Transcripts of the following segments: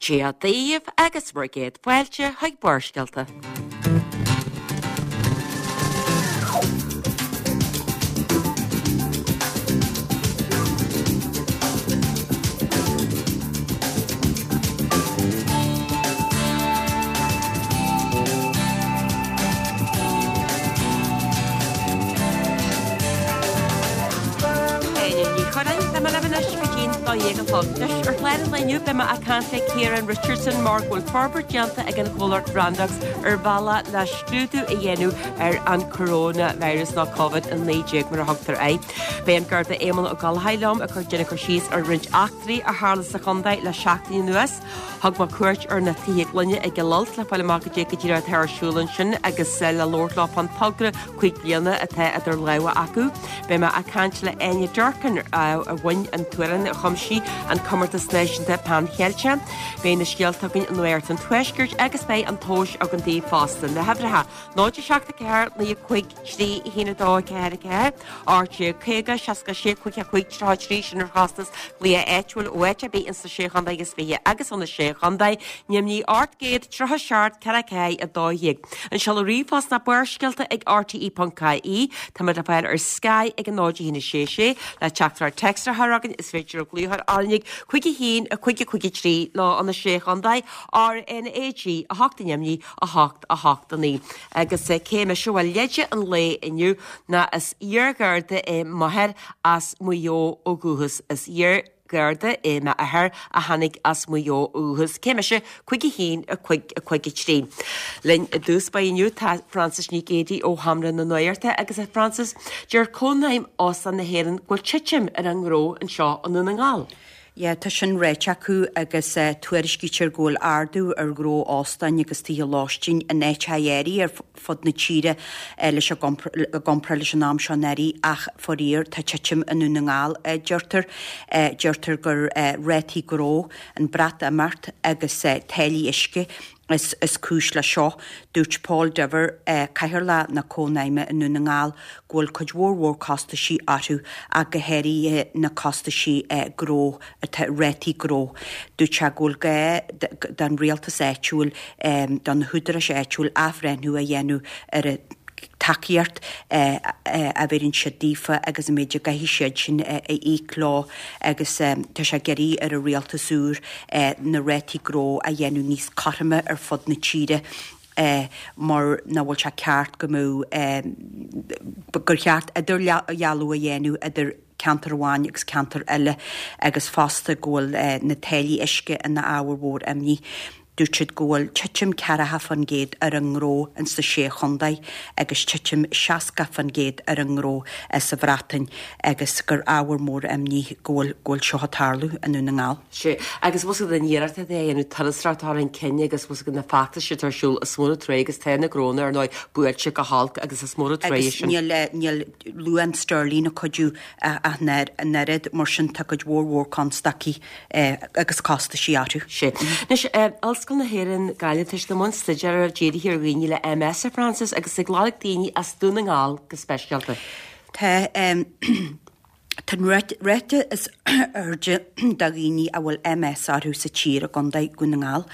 Dia daoibh agus bhur gcéad fáilte chuig Barrscéalta. Áine Ní Churráin, tá mé libh anois go dtí'n 12 a chlog. Anois, ar chlár an lae inniu, beidh mé ag caint le Ciarán Richardson mar go bhfuil forbairt déanta ag an chomhlacht Randox ar bhealach le scrúdú a dhéanamh ar an coronavirus nó Covid-19 mar a thugtar air. Beidh an Garda Éamonn Ó Gallchóir liom ag cur déanamh cur síos ar roinnt eachtraí a tharla sa chontae le seachtain anuas. Thug mé cuairt ar na Tithe Gloine i gCill Ailt le fáil amach goidé go díreach atá ar siúl ansin agus le labhairt leo fán togra 5 bliana atá idir lámha acu. Beidh mé ag caint le Áine Durkin a bhain an t-amhrán a chum sí an Comórtas Náisiúnta Pan Cheilteach. Beidh na scéalta againn i Nuacht an Tuaiscirt agus beidh an tomhas againn daoibh fosta. Na huimhreacha, 0 7 4 9 5 3 1 2 4 4, 18 50 66 55 33, sin ar chostas glaoch áitiúil ó áit ar bith ins na Sé Chontae agus Fiche agus ó na Sé Chontae, ainmnigh 837 4 4 12. An seoladh ríomhphost ná barrscéalta ag rte.ie. Táimid le fáil ar Sky ag 0 1 6 6 le teachtaireacht téacs a chur chugainn is féidir glaoch ar RnaG 5 1 5 5 3 nó ó na Sé Chontae, RnaG 8 ainmnigh 8 8 9. Agus cé mise? Bhuel, leide an lae inniu ná is iar-gharda é m'athair as Maigh Eo ó dhúchas. Is iar-gharda é m'athair a tháinig as Maigh Eo ó dhúchas. Cé mise? 5 1 5 5 3. Linn i dtús báire inniu tá Frances Nic Géadaigh ó Sheomra na Nuachta agus a Frances, deir Cónaidhm Óstán na hÉireann go bhfuil titim ar an ngnó anseo i nDún na nGall. Yeah, tá sin ráite acu agus tuairiscítear go bhfuil ardú ar ghnó óstáin agus tithe lóistín in áiteacha áirithe ar fud na tíre leis an i gcomparáid leis an am seo anuraidh ach faraor tá titim i nDún na nGall, deirtear. Deirtear gur rátaí gnó, an Breatimeacht agus táillí uisce is is cúis leis seo. Dúirt Paul Diver, Cathaoirleach na Cónaidhme i nDún na nGall, go bhfuil cuid mhór mhór costaisí orthu ach go háirithe na costaisí gnó atá, rátaí gnó. Dúirt sé go bhfuil gá don rialtas áitiúil, do na húdaráis áitiúil athbhreithniú a dhéanamh ar an tacaíocht a bheireann siad daofa agus an méid a gcaithfidh siad sin a íoc leo agus tá sé ag iarraidh ar an rialtas úr na rátaí gnó a dhéanamh níos cothroime ar fud na tíre mar nach bhfuil sé ceart go mbeadh gur cheart idirdhealú a dhéanamh idir ceantar amháin agus ceantar eile agus fosta go bhfuil na táillí uisce ina ábhar mhór imní. Dúirt siad go bhfuil titim 40% ar an ngnó ins na Sé Chontae agus titim 60% ar an ngnó sa Bhreatain agus gur ábhar mór imní go bhfuil go bhfuil seo ag tarlú i nDún na nGall. Sea, agus bhfuil fhios agat an iarracht atá á dhéanamh turasóireacht a chur chun cinn agus bhfuil fhios agat na feachtais atá ar siúl is mór an trua agus tá na gnónna ar ndóigh buailte go holc agus is mór an trua é sin. Agus níl níl luach an sterling ag cuidiú ach an oiread, mar sin tá cuid mhór mhór constaicí agus costaisí orthu. Sea. Anois, Ollscoil na hÉireann, Gaillimh, tá siad i mbun staidéir dírithe ar dhaoine le MS, a Frances, agus ag lorg daoine as Dún na nGall go speisialta. Tá. Tá an ráta is airde de dhaoine a bhfuil MS orthu sa tír i gContae Dhún na nGall.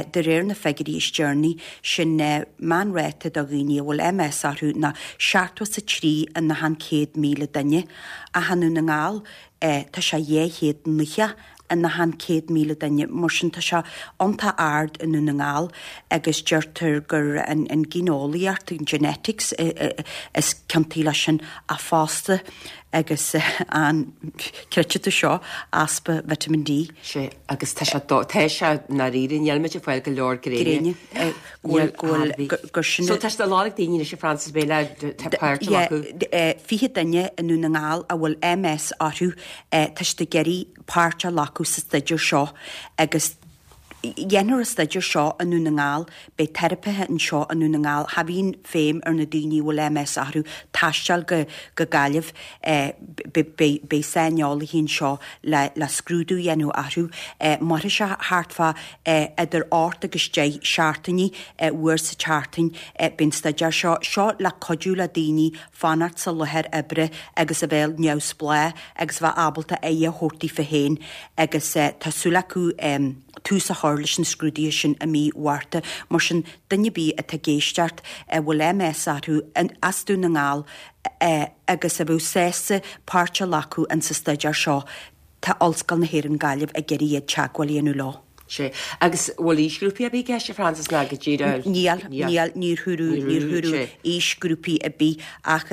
De réir na figiúirí is deireanaí, sin meánráta do dhaoine a bhfuil MS orthu ná 73 in achan 100,000 duine, ach i nDún na nGall tá sé 290 in achan 100,000 duine. Mar sin tá sé iontach ard i nDún na nGall agus deirtear gur an ghéineolaíocht, an genetics, is ciontaí leis sin ach fosta agus an, creidfidh tú seo, easpa vitamin D. Sea, agus tá sé, tá sé i ndáiríre, níl muid ag fáil go leor gréine. Gréine. Go bhfuil, go bhfuil, gur sin. So tá siad ag lorg daoine anois a Frances bheidh le páirt a ghlacadh. Yeah, 20 duine i nDún na nGall a bhfuil MS orthu, tá siad ag iarraidh páirt a ghlacadh sa staidéar seo agus dhéanfar an staidéar seo i nDún na nGall, beidh teiripithe anseo i Ndún na nGall, cha bhíonn feidhm ar na daoine a bhfuil MS orthu taisteal go go Gaillimh, beidh beidh saineolaithe anseo le le scrúdú a dhéanamh orthu. Mairfidh sé thart fá idir 8 agus 10 seachtainí, uair sa tseachtain. Beidh an staidéar seo seo le cuidiú le daoine fanacht sa láthair oibre agus a bheith neamhspleách agus a bheith ábalta aire a thabhairt daofa féin agus tá súil acu tús a chur. chur leis na scrúduithe sin i mí Mhárta. Mar sin, duine ar bith atá ag éisteacht, a bhfuil MS orthu, as Dún na nGall, agus a bheadh sásta páirt a ghlacadh insa staidéar seo, tá Ollscoil na hÉireann Gaillimh ag iarraidh iad teagmháil a dhéanamh leo. Sea. Agus bhfuil aoisghrúpaí ar bith i gceist, a Frances, ná go díreach? Níl, níl, níor húradh, níor húradh aoisghrúpaí ar bith ach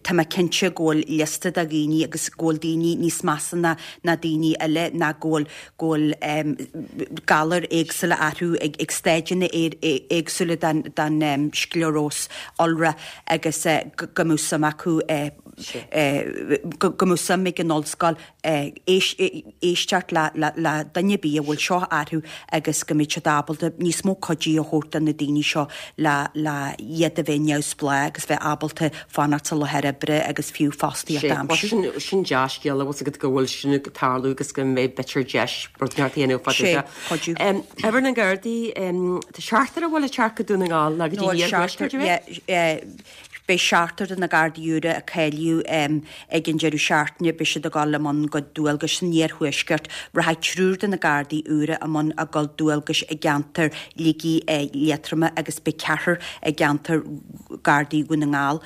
tá mé cinnte go bhfuil liosta de dhaoine agus go bhfuil daoine níos measa ná ná daoine eile ná go bhfuil, go bhfuil galair éagsúla orthu ag ag stáideanna éagsúla den den scleoróis iolra agus go mbeadh suim acu go mbeadh suim ag an ollscoil éisteacht le duine ar bith a bhfuil seo orthu agus go mbeidh siad ábalta níos mó cuidiú a thabhairt do na daoine seo le iad a bheith neamhspleách agus bheith ábalta fanacht sa láthair oibre agus fiú fostaíocht a aimsiú. Sin dea-scéala, bhfuil 's agat go bhfuil sin ag tarlú agus go mbeidh b'fhéidir deis rud inteacht a dhéanamh fá dtaobh de. Cuidiú. Obair na nGardaí, tá seachtar a bhfuil ag teacht go Dún na nGall nó go dtí an iarthuaisceart, an ea? Beidh seachtar de na Gardaí úra a cáilíodh ag an deireadh seachtaine, beidh siad ag dul i mbun a gcuid dualgais san iarthuaisceart. Rachaidh triúr de na Gardaí úra i mbun a gcuid dualgais i gceantar Shligigh Liatroma agus beidh ceathrar i gceantar Gardaí Dhún na nGall.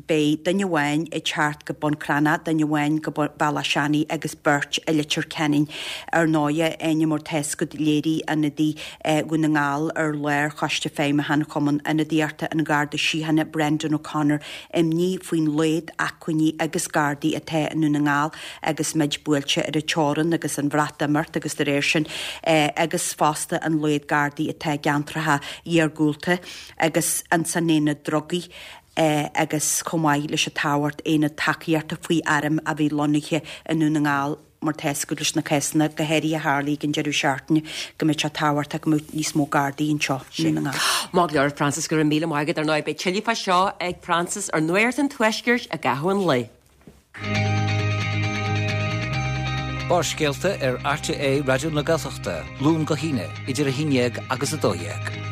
Beidh duine amháin ag teacht go Bun Cranncha, duine amháin go Bealach Seanaidh agus beirt i Leitir Ceanainn. Ar ndóighe, Áine, mar tá 'fhios agat, léirigh ionadaí Dhún na nGall ar Lár-Choiste Feidhmiúcháin Chumann Ionadaíochta an Gharda Síochána, Brendan O'Connor, imní faoin laghad acmhainní agus Gardaí atá i nDún na nGall agus muid buailte ar an teorainn agus an Bhreatimeacht agus de réir sin agus fosta an laghad Gardaí atá i gceantracha iargúlta agus ins an aonad drugaí agus chomh maith leis an tábhacht aonad tacaíochta faoi airm a bheith lonnaithe i nDún na nGall. mar tá 'fhios agat leis na cásanna, go háirithe a tharlaigh ag an deireadh seachtaine, go mbeadh sé tábhachtach go mbeadh níos mó Gardaí anseo i nDún na nGall. Maith go leor, Frances, go raibh míle maith agat. Ar ndóigh, beidh tuilleadh fá seo ag Frances ar Nuacht an Tuaiscirt i gcaitheamh an lae. Barrscéalta ar RTÉ Raidió na Gaeltachta, Luan go hAoine, idir 11 agus 12.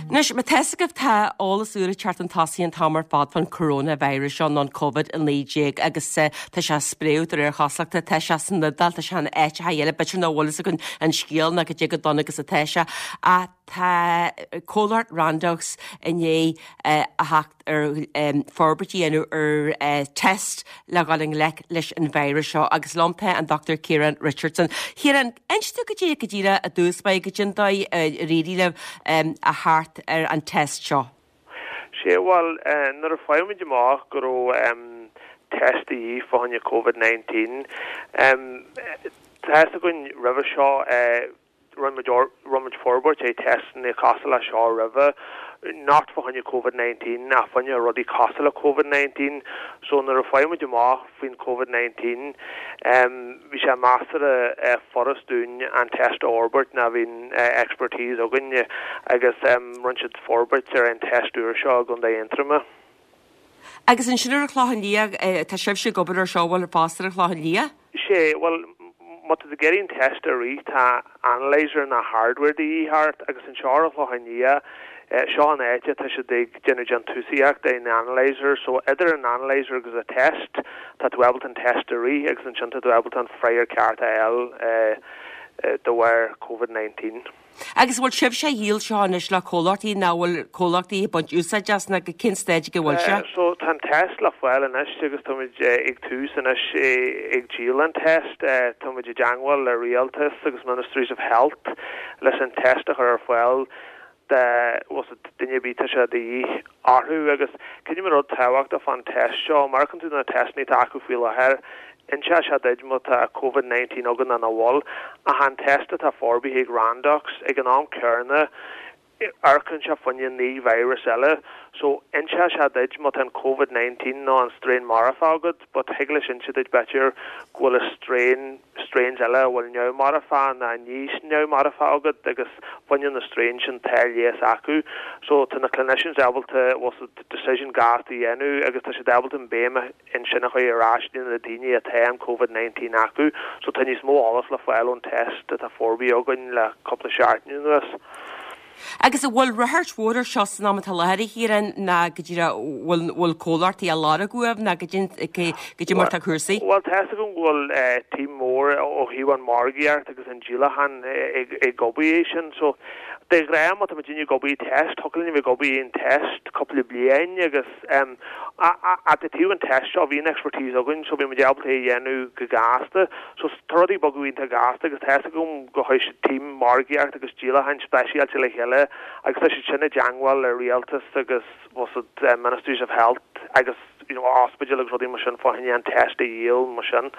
Anois, má tá 'fhios agaibh, tá eolas úr ag teacht chun tosaigh an t-am ar fad fán coronavirus seo, nó an Covid-19, agus tá sé ag spréadh de réir chosúlachta, tá sé san Iodáil, tá sé in áiteacha eile, b'fhéidir nach bhfuil fhios againn an scéal ná cad é chomh dona agus atá sé, ach tá comhlacht Randox i ndiaidh a theacht ar forbairt a dhéanamh ar test le dhul i ngleic leis an virus seo agus liom tá an Dr Ciarán Richardson. Ciarán, inis dúinn cad é go díreach i dtús báire cad é an dóigh ar éirigh libh a theacht ar an test seo. Sea, bhuel, nuair a fuair muid amach go raibh test de dhíth fá choinne Covid-19, tá fhios againn roimhe seo, Rinne muid, rinne muid forbairt ar teisteanna cosúil le seo roimhe, not fá choinne Covid-19 ach fá choinne rudaí cosúil le Covid-19. So nuair a fuair muid amach faoin Covid-19, bhí sé measartha furast dúinn an test a fhorbairt ná bhí an expertise againn agus rinne siad forbairt ar an test úr seo i gContae Aontroma. Agus ansin ar an Chlochán Liath, tá sibhse ag obair ar seo, bhfuil fosta ar an Chlochán Liath? Sea, bhuel, má tá tú ag iarraidh an test a rith, tá analyzer ná hardware de dhíth ort agus anseo ar an Chlochán Liath, seo an áit atá siad ag déanamh déantúsaíocht ar an analyzer, so idir an analyzer agus an test, tá tú ábalta an test a rith agus ansin tá tú ábalta an freagra ceart a fháil de bharr Covid-19. Agus an bhfuil sibhse á dhíol seo anois le comhlachtaí nó an bhfuil comhlachtaí ag baint úsáid as nó go cén staid ag a bhfuil sé? So tá an test le fáil anois agus táimid ag tús anois ag díol an test. Táimid i dteangmháil le rialtas agus Ministries of Health leis an test a chur ar fáil do bhfuil 's duine ar bith tá sé de dhíth orthu agus creidim an rud tábhachtach fán test seo, má amharcann tú na testanna atá acu faoi láthair, inseoidh sé duit má tá Covid 19 agat nó nach bhfuil, ach an test atá forbartha ag Randox ag an am céanna, amharcann sé fá choinne 9 virus eile, so inseoidh sé duit má tá an Covid 19 nó an strain marfach agat, but thig leis inse duit b'fhéidir go bhfuil a strain, strains eile a bhfuil neamh-marfach ná níos neamh-marfach agat agus fá choinne na strains sin tá leigheas acu. So tá na clinicians ábalta bhfuil 's agat decision gasta a dhéanamh agus tá siad ábalta an béim ansin a chur ar ais do na daoine atá an Covid-19 acu. So tá níos mó eolas le fáil ón test atá forbartha againn le cúpla seachtain anuas. Agus an bhfuil ráchairt mhór ar seo san am atá i láthair, a Chiaráin, ná go díreach bhfuil bhfuil comhlachtaí á lorg uaibh ná goidé mar tá cúrsaí? Bhuel, tá fhios agam go bhfuil team mór ó thaobh an margaíocht agus an díolachán ag obair é sin. So, de ghnáth má tá muidinne ag obair test, thiocfadh linn a bheith ag obair aon test cúpla bliain agus ach i dtaobh an test seo bhí an expertise againn so bhí muid ábalta é a dhéanamh go gasta. So tá rudaí ag bogadh iontach gasta agus tá fhios agam go chuir siad team margaíocht agus díolacháin speisialta le chéile agus tá siad sin i dteangmháil le rialtas agus bhfuil fhios agat Ministries of Health agus you know ospidéil agus rudaí mar sin fá choinne an test a dhíol mar sin.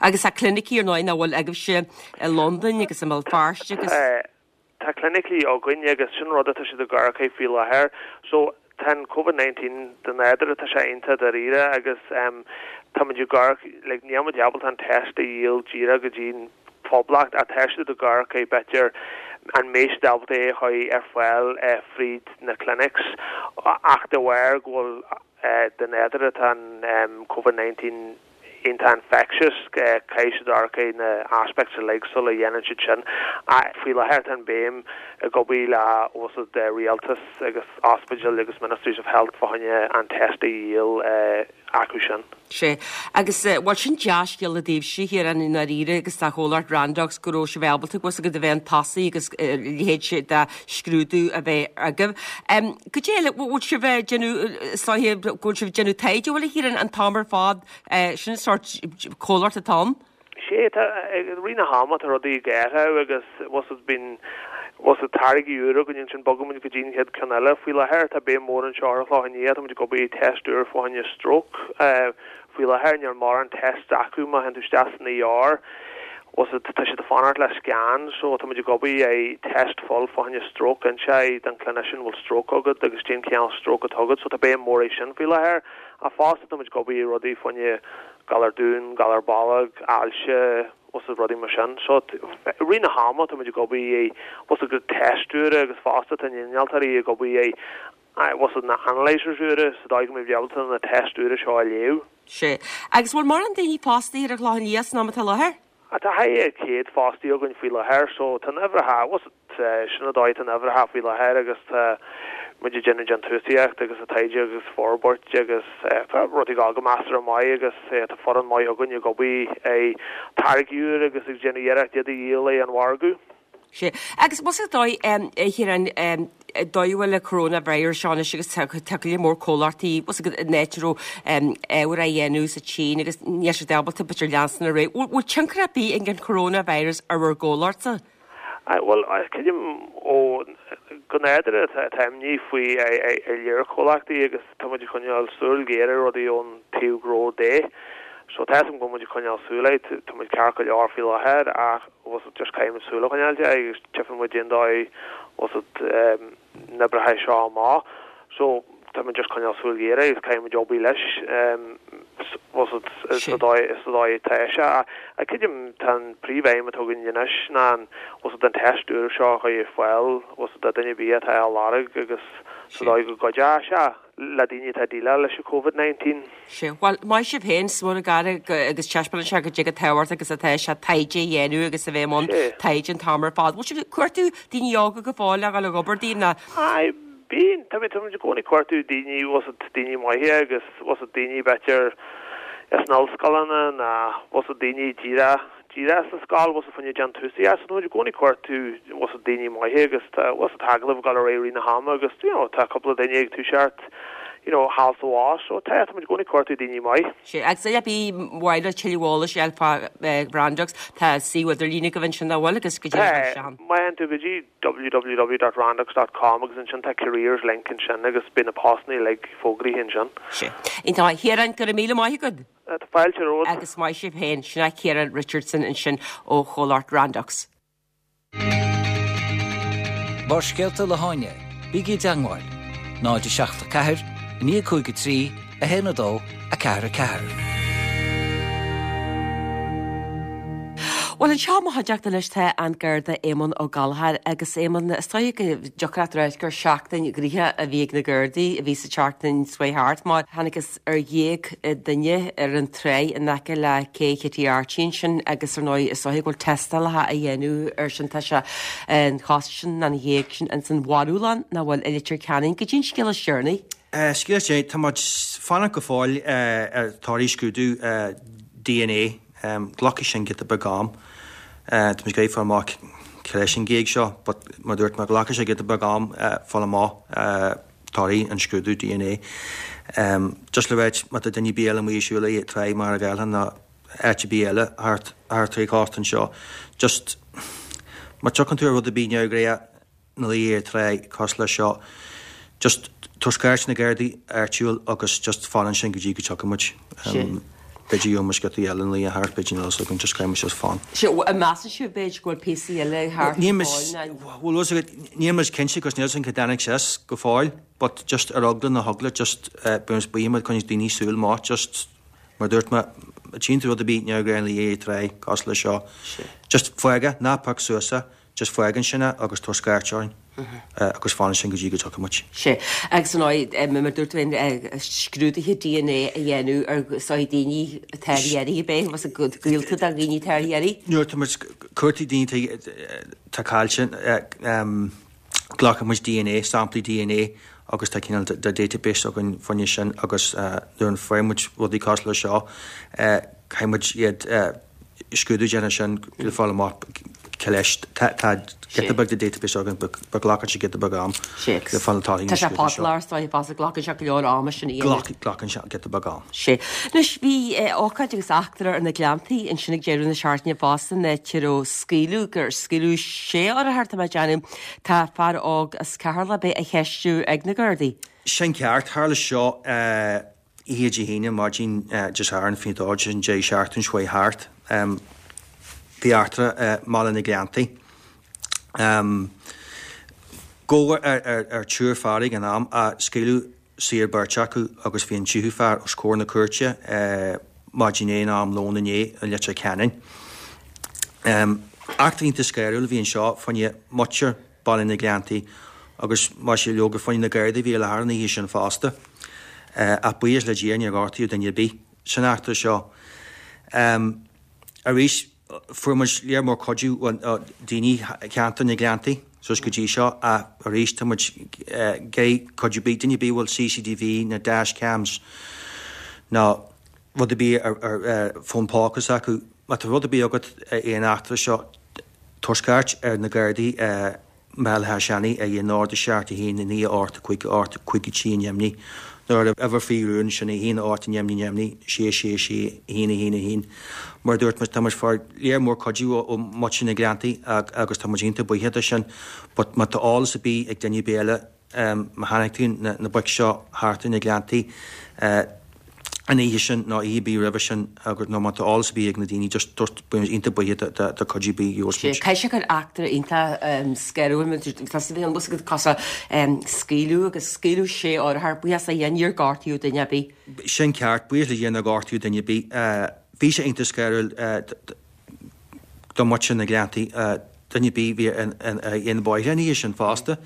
Agus tá clinicí ar ndóigh nach bhfuil agaibhse i Londain agus i mBéal Feirste agus. Tá clinicí againn agus sin rud atá siad ag amharc air faoi láthair. So tá an Covid 19 de nádúr tá sé iontach dáiríre agus tá muid ag amharc like níl muid ábalta an test a dhíol díreach go dtí an phoblacht ach tá siad ag amharc air b'fhéidir an mbeidh siad ábalta é a chur ar fáil fríd na clinics ach de bharr go bhfuil de nádúr atá an Covid 19 iontach infectious, caithfidh siad amharc ar na aspects uilig sula dhéanann siad sin. Faoi láthair tá an béim ag obair le bhfuil fhios agat rialtas agus ospidéil agus Ministries of Health fá choinne an test a dhíol acu sin. Sea. Agus, bhuel, sin dea-scéala daoibhse, a Chiaráin, i ndáiríre agus do chomhlacht Randox go raibh sibh ábalta, bhfuil fhios agat, a bheith chun tosaigh agus a leithéid de scrúdú a bheith agaibh. Goidé eile, bhfuil sibh ag déanamh, is dóiche go bhfuil sibh ag déanamh taighde, bhfuil a Chiaráin, an t-am ar fad, sin an sórt comhlacht atá ann? Sea, tá, i rith na hama tá rudaí ag athrú agus bhfuil fhios agat bíonn, bhfuil fhios agat táirgí úra againn ansin bogann muid go dtí an chéad ceann eile. Faoi láthair tá béim mhór anseo ar an Chlochán Liath, tá muid ag obair ar test úr fá choinne stroke. Faoi láthair níl mórán tests acu má théann tú isteach san ER, bhfuil fhios agat tá siad ag fanacht le scan so tá muid ag obair ar test full fá choinne stroke, inseoidh don clinician bhfuil stroke agat agus cén cineál stroke atá agat so tá béim mhór air sin faoi láthair. Ach fosta tá muid ag obair ar rudaí fá choinne galar domhain, galar bolg, ailse, bhfuil fhios agat rudaí mar sin. So, i rith na hama tá muid ag obair ar, bhfuil fhios agat test úra agus fosta tá na innealtóirí ag obair ar, bhfuil fhios agat na analyzers úra sa dóigh go mbeidh ábalta na test úra seo a léamh. Sea. Agus bhfuil mórán daoine fostaithe ar an Chlochán Liath san am atá i láthair? Tá thart ar 100 fostaí againn faoi láthair so tá an uimhir, bhfuil fhios agat, sin an dóigh atá an uimhir faoi láthair agus tá muid ag déanamh déantúsaíocht agus ag taighde agus forbairt agus tá rudaí ag dul go measartha maith agus tá foireann maith againn ag obair ar táirgí úr agus ag déanamh iarracht iad a dhíol ar an mhargadh. Sea. Agus bhfuil fhios agat dóigh, a Chiaráin, dóigh a bhfuil an coronavirus seo anois agus tá go leor mór comhlachtaí, bhfuil fhios agat, an áit a raibh ábhar á dhéanamh sa tSín agus níl siad ábalta b'fhéidir leanstan ar aghaidh. Bhfuil tionchar ar bith ag an coronavirus ar bhur gcomhlachtsa? Bhuel, creidim ó go nádúrtha tá imní faoi ar lear comhlachtaí agus tá muid ag coinneáil súil ghéar ar rudaí ón taobh gnó de. So tá a fhios agam go bhfuil muid ag coinneáil súil air, tá muid ceart go leor faoi láthair ach bhfuil fhios agat just caithfidh muid súil a choinneáil de agus tchífidh muid cén dóigh bhfuil fhios agat na n-oibreoidh seo amach. So tá muid just coinneáil súil ghéar air agus caithfidh muid obair leis bhfuil fhios agat sa dóigh sa dóigh atá sé. Ach creidim tá an príomhaidhm atá againn anois ná an bhfuil fhios agat an test úr seo a chur ar fáil bhfuil fhios agat do duine ar bith atá á lorg agus sa dóigh go gcuideoidh sé. le daoine atá ag déileáil leis an Covid-19. Sea, bhuel, maith sibh féin, is mór an gar agus taispeánann sé goidé chomh tábhachtach agus atá sé taighde a dhéanamh agus a bheith i mbun taighde an t-am ar fad. Bhfuil sibh ag cuartú daoine óga go fóill le dhul ag obair daoibh ná? Aye, bíonn, tá muid i gcónaí ag cuartú daoine, bhfuil fhios agat, daoine maithe agus bhfuil fhios agat daoine b'fhéidir as na ollscoileanna ná bhfuil fhios agat daoine díreach díreach as an scoil, bhfuil fhios agat fá choinne déantúsaíocht, so tá muid i gcónaí ag cuartú, bhfuil fhios agat daoine maithe agus tá, bhfuil fhios agat agallamh ag dul ar aghaidh i rith na hama agus, you know, tá cúpla duine ag toiseacht, you know, thall 's abhus, so tá, tá muid i gcónaí ag cuartú daoine maith. Sea, agus ar mhaith le tuilleadh eolais a fháil fá Randox, tá suíomh idirlín agaibh ansin nach bhfuil agus goidé mar sin. Tá, má théann tú go dtí www.randox dot com agus ansin tá careers link ansin agus beidh na postanna uilig fógraithe ansin. Sea. Iontach. A Chiaráin, go raibh míle maith agat. Tá fáilte romhat. Agus maith sibh féin. Sin é Ciarán Richardson ansin ó chomhlacht Randox. Barrscéalta le hÁine, bígí i dteangmháil, 0 7 4 9 5 3 1 2 4 4. Bhuel anseo i mo chuideachta anois tá an Garda Éamonn Ó Gallchóir agus Éamonn, is dóigh go dtiocfadh leat a ráit gur seachtain ghnoitheach a bhí ag na Gardaí a bhí sa tseachtain seo thart mar thángthas ar ghéag duine ar an tráigh in aice le Cé Chití Archie ansin agus ar ndóigh is dóigh go bhfuil tástálacha á dhéanamh ar sin tá sé an chos sin an ghéag sin ins an mharúlann nach bhfuil i Leitir Ceanainn. Goidé an scéal is deireanaí. Scéal is deireanaí, tá muid fanacht go fóill ar torthaí scrúdú DNA. Glacfaidh sin giota beag am. Tá muid ag iarraidh fáil amach cé leis an ghéag seo but mar a dúirt mé glacfaidh sé giota beag am fáil amach torthaí an scrúdú DNA. Just le ráit má tá duine ar bith eile amuigh ag siúl ag Tráigh Mhachaire Gathlán nó áit ar bith eile thart thart ar an chósta anseo just má tiocfaidh tú ar rud ar bith neamhghnách ina luí ar tráigh cosúil leis seo. Just tabhair scairt na Gardaí áitiúil agus just fan ansin go dtí go dtiocfaidh muid. B'fhéidir gheobhaidh muid sciota eile ina luí thart, b'fhéidir níl a fhios againn, just caithfidh muid just fan. Sea, an measann sibh b'fhéidir go bhfuil píosaí eile thart go fóill ná? Bhuel, fhios agat, níl muid cinnte cos níl a fhios againn cá dtáinig sé as go fóill but just ar eagla na heagla just bíonn muid buíoch má choinníonn daoine súil maith just mar a dúirt mé, má tchíonn tú rud ar bith neamhghnách ina luí ar tráigh cosúil leis seo, just fág é, ná pioc suas é. Just fág ansin é agus tabhair scairt orainn agus fan ansin go dtí go dtiocfaidh muid. Sea. Agus ar ndóigh, mar a dúirt tú féin, scrúduithe DNA a dhéanamh ar is dóigh daoine atá ar iarraidh ab é, was gaolta do dhaoine atá ar iarraidh? Nuair atá muid ag cuartú daoine atá caillte, glacann muid DNA, samplaí DNA agus tá cineál de database againn fá choinne sin agus nuair a faigheann muid rudaí cosúil le seo, caithfidh muid iad scrúdú déanamh sin le fáil amach cé leis. Tá giota beag de database againn but glacann sé giota beag am le fáil na torthaí na scrúduithe seo. Tá sé fadálach is dóigh fosta, glacann sé go leor ama sin a dhéanamh. Glacann sé giota beag am. Sea. Anois bhí ócáid agus eachtra ar na Gleanntaí ansin ag deireadh na seachtaine fosta an áit a raibh scaoileadh, gur scaoileadh sé urchar tá mé ag déanamh. Tá fear óg as Ceatharlach ab é á cheistiú ag na Gardaí. Sin ceart. Tharla seo oíche Dé hAoine, maidin Dé Sathairn, faoin dó, sin deireadh seachtaine seo chuaigh thart. Bhí eachtra i mBaile na Gleanntaí. Gabhadh ar triúr fear ag an am ach scaoileadh saor beirt acu agus bhí an tríú fear os comhair na cúirte maidin inné nó am lóin inné i Leitir Ceanainn. Eachtra iontach scanrúil a bhí anseo fá choinne muintir Baile na Gleanntaí agus más ea leoga fá choinne na Gardaí a bhí i láthair an oíche sin fosta. Ach buíochas le Dia níor gortaíodh duine ar bith san eachtra seo. Arís fuair muid léar mór cuidiú ó daoine cheantar na Gleanntaí suas go dtí seo ach arís tá muid ag iarraidh cuidiú ar bith, duine ar bith a bhfuil CCTV nó dash cams nó rud ar bith ar fón póca s'acu, má tá rud ar bith agat ar an eachtra seo, Tabhair scairt ar na Gardaí i mBaile Átha Seanaidh ag 0 7 1 9 8 5 8 5 3 neamhní nó ar uimhir faoi rún, sin 1 8 neamhní neamhní 6 6 6 1 1 1. Mar a dúirt muid, tá muid ag fáil léar mór cuidiú ó mhuintir na Gleanntaí agus tá muid iontach buíoch de sin but má tá eolas ar bith ag duine ar bith eile, Má chonaic tú na boic seo thart ar na Gleanntaí an oíche sin nó oíche ar bith roimhe sin agus nó má tá eolas ar bith ag na daoine just dúirt beidh muid iontach buíoch de cuidiú ar bith a gheobhas muid. Caithfidh sé gur eachtra iontach scanrúil mar tá a fhios agat cosúil scaoileadh agus scaoileadh sé urchar buíochas le Dia níor gortaíodh duine ar bith. Sin ceart, buíochas le Dia nár gortaíodh duine ar bith. Bhí sé iontach scanrúil. Do mhuintir na Gleanntaí, duine ar bith a bhí ar na bóithre an oíche sin fosta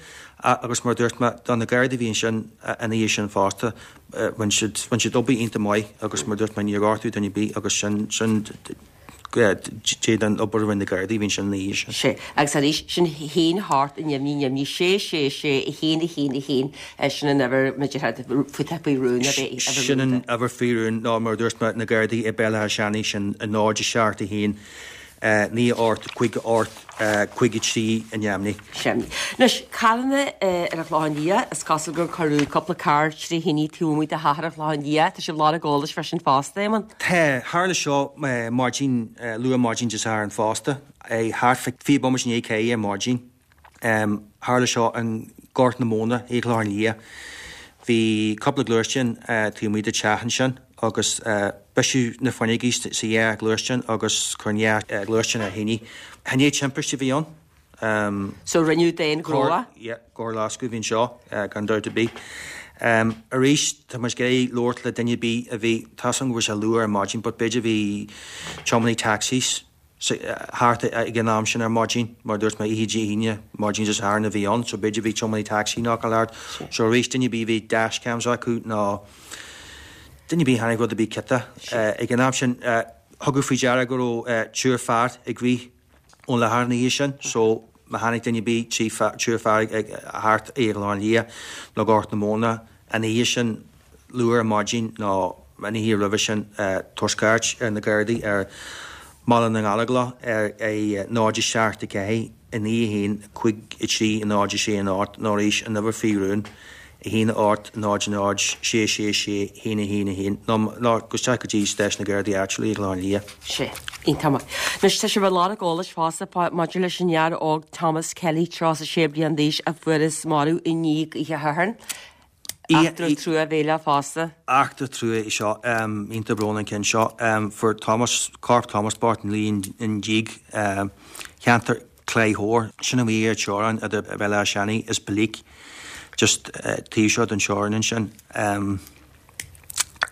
agus mar a dúirt mé, do na Gardaí a bhí ansin an oíche sin fosta, rinne siad, rinne siad obair iontach maith agus mar a dúirt mé, níor gortaíodh duine ar bith agus sin, sin Dé don obair a rinne na Gardaí a bhí ansin an oíche sin. Sea, agus arís, sin haon hocht neamhní neamhní sé sé sé a haon a haon a haon, sin an uimhir, b'fhéidir, faoi rún, ab é, uimhir Sin an uimhir faoi rún nó mar a dúirt mé, na Gardaí i Béal Átha Seanaidh, sin 0 7 1 9 8 5 8 5 3 i neamhní. Sin. Anois, carranna ar an Chlochán Liath, is cosúil gur cuireadh cúpla carr tré thine taobh amuigh de theach ar an Chlochán Liath. Tá sibh ag lorg eolais fá sin fosta, Éamonn? Tá. Tharla seo maidin, luath maidin Dé Sathairn fosta, thart fá 20 bomaite i ndiaidh 4 ar maidin. Tharla seo i nGort na Móna, ar an Chlochán Liath. Bhí cúpla gluaisteán taobh amuigh de teach ansin agus briseadh na fuinneogaí sa dhá ghluaisteán agus chuir an dhá ghluaisteán ar thine. Chan é timpiste a bhí ann. So rinneadh d'aon ghnó é? Yeah, coirloscadh a bhí anseo, gan dabht ar bith. Arís, tá muid ag iarraidh labhairt le duine ar bith a bhí, tá a fhios agam go bhfuil sé luath ar maidin but b'fhéidir bhí tiománaí taxis. Thart ag an am sin ar maidin, mar a dúirt mé, oíche Dé hAoine, maidin Dé Sathairn a bhí ann, so b'fhéidir bhí tiománaí tacsaí nach raibh thart. So arís, duine ar bith a bhí dash cams acu nó duine ar bith a chonaic rud ar bith ciotach. Ag an am sin, tugadh faoi deara go raibh triúr fear ag rith ón láthair an oíche sin, so má chonaic duine ar bith triúr fear ag thart i gClochán Liath nó Gort na Móna an oíche sin, luath ar maidin nó an oíche roimhe sin, tabhair scairt ar na Gardaí ar Bhaile na nGallóglach ar 0 7 4 9 1 5 3 0 6 8 nó arís an uimhir faoi rún 1 8 0 0 6 6 6 1 1 1 nó nó gabh isteach go dtí stáisiún na Gardaí áitiúil i gClochán Liath. Sea, iontach maith. Anois tá sibh ag lorg eolais fosta maidir leis an fhear óg Thomas Kelly, 36 bliain d'aois, a fuarthas marbh i ndiaidh oíche Shathairn. Eachtra truamhéileach fosta. Eachtra trua í seo. Iontach brónach an ceann seo. Fuair Thomas, corp Thomas bocht luí i ndíog cheantar Chlaí Thoir. Sin amuigh ar teorainn idir Béal Átha Seanaidh is Belleek, just taobh seo den teorainn ansin.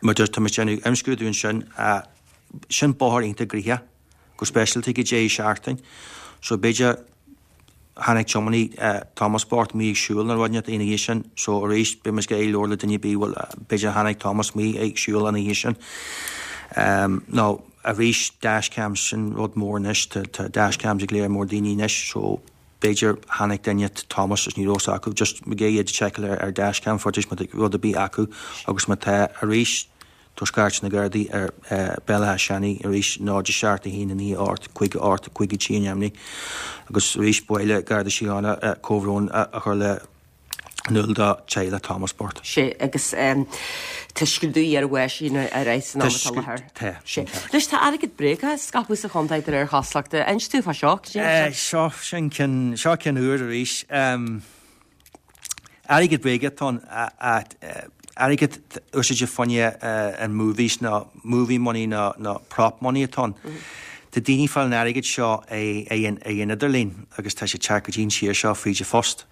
Mar tá muid ag déanamh imscrúdú ansin. Sin bóthar iontach gnoitheach, go speisialta ag an deireadh seachtaine. So b'fhéidir Chonaic tiománaí Thomas bocht amuigh ag siúl nó rud inteacht an oíche sin so arís beidh muid ag iarraidh labhairt le duine ar bith bhfuil b'fhéidir chonaic Thomas amuigh ag siúl an oíche sin. Nó arís dashcams sin rud mór anois tá tá dashcams ag léar mór daoine anois so b'fhéidir chonaic duine Thomas is ní raibh fhios acu just ag iarraidh iad a sheiceáil ar ar dashcam footage má tá rud ar bith acu agus má tá arís Tabhair scairt na Gardaí ar Béal Átha Seanaidh arís 0 7 1 9 8 5 8 5 3 ainmnigh agus arís ba mhaith le Garda Síochána comhbhrón a chur le in iúl do teaghlach Thomas bocht. Sea, agus tá scrúdú ar bháis ar aghaidh san am atá i láthair. Tá, sin ceart. Anois tá airgead bréagach á scaipeadh sa chontae de réir chosúlachta. Inis dúinn fá seo, cad é seo? Seo, sin ceann, seo ceann úr arís. Airgead bréige atá ann, airgead úsáidte fá choinne an movies nó movie money nó nó prop money atá ann. Tá daoine ag fáil an airgid seo ar an idirlíon agus tá sé ag teacht go dtí an tír seo fríd an phost.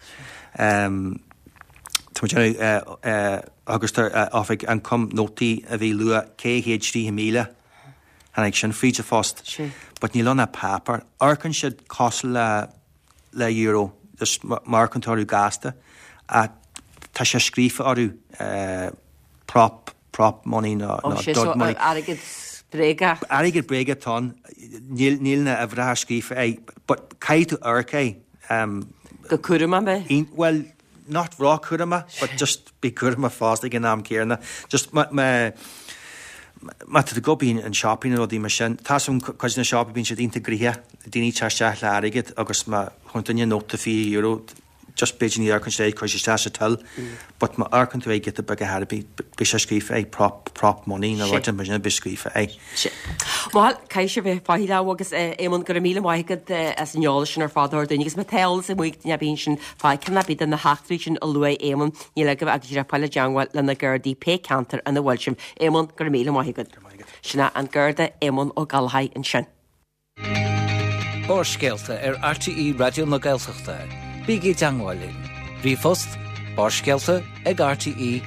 Tá muid ag déanamh agus tá Oifig Ioncaim nótaí a bhí luach 430,000 tháinig sin fríd an phost. But níl ann ach páipéar. Amharcann siad cosúil le le euro just má amharcann tú orthu gasta ach tá sé scríofa orthu prop prop money nó nó dud money. Airgead bréagach. Airgead bréagach atá ann. Níl níl na uimhreacha scríofa air but caithfidh tú amharc air. Go cúramach bheith. Bhuel not ró-chúramach but just bí cúramach fosta ag an am céanna. Just má má má tá tú ag dul an shopping nó rudaí mar sin, tá some cuid de na siopaí bíonn siad iontach gnoitheach, daoine ag teacht isteach le airgead agus má chuireann duine nóta €20 just b'fhéidir ní amharcann siad air, cuir isteach sa till but má amharcann tú air giota beag ar chor ar bith beidh sé scríofa air prop prop money nó rud mar sin beidh scríofa air. Bhuel, caithfidh sibh bheith faichilleach agus Éamonn, go raibh míle maith agat as an eolas sin ar fad a thabhairt dúinn agus má tá eolas amuigh ag duine ar bith ansin fá ceann ar bith de na heachtraí sin a luaigh Éamonn, níl agaibh ach díreach fáil i dteangmháil le na Gardaí pé ceantar ina bhfuil sibh. Éamonn, go raibh míle maith agat. Go raibh maith agat. Sin é an Garda Éamonn Ó Gallchóir ansin. Barrscéalta ar RTÉ Raidió na Gaeltachta. Bígí i dteangmháil linn. Ríomhphost, barrscéalta ag rte.ie.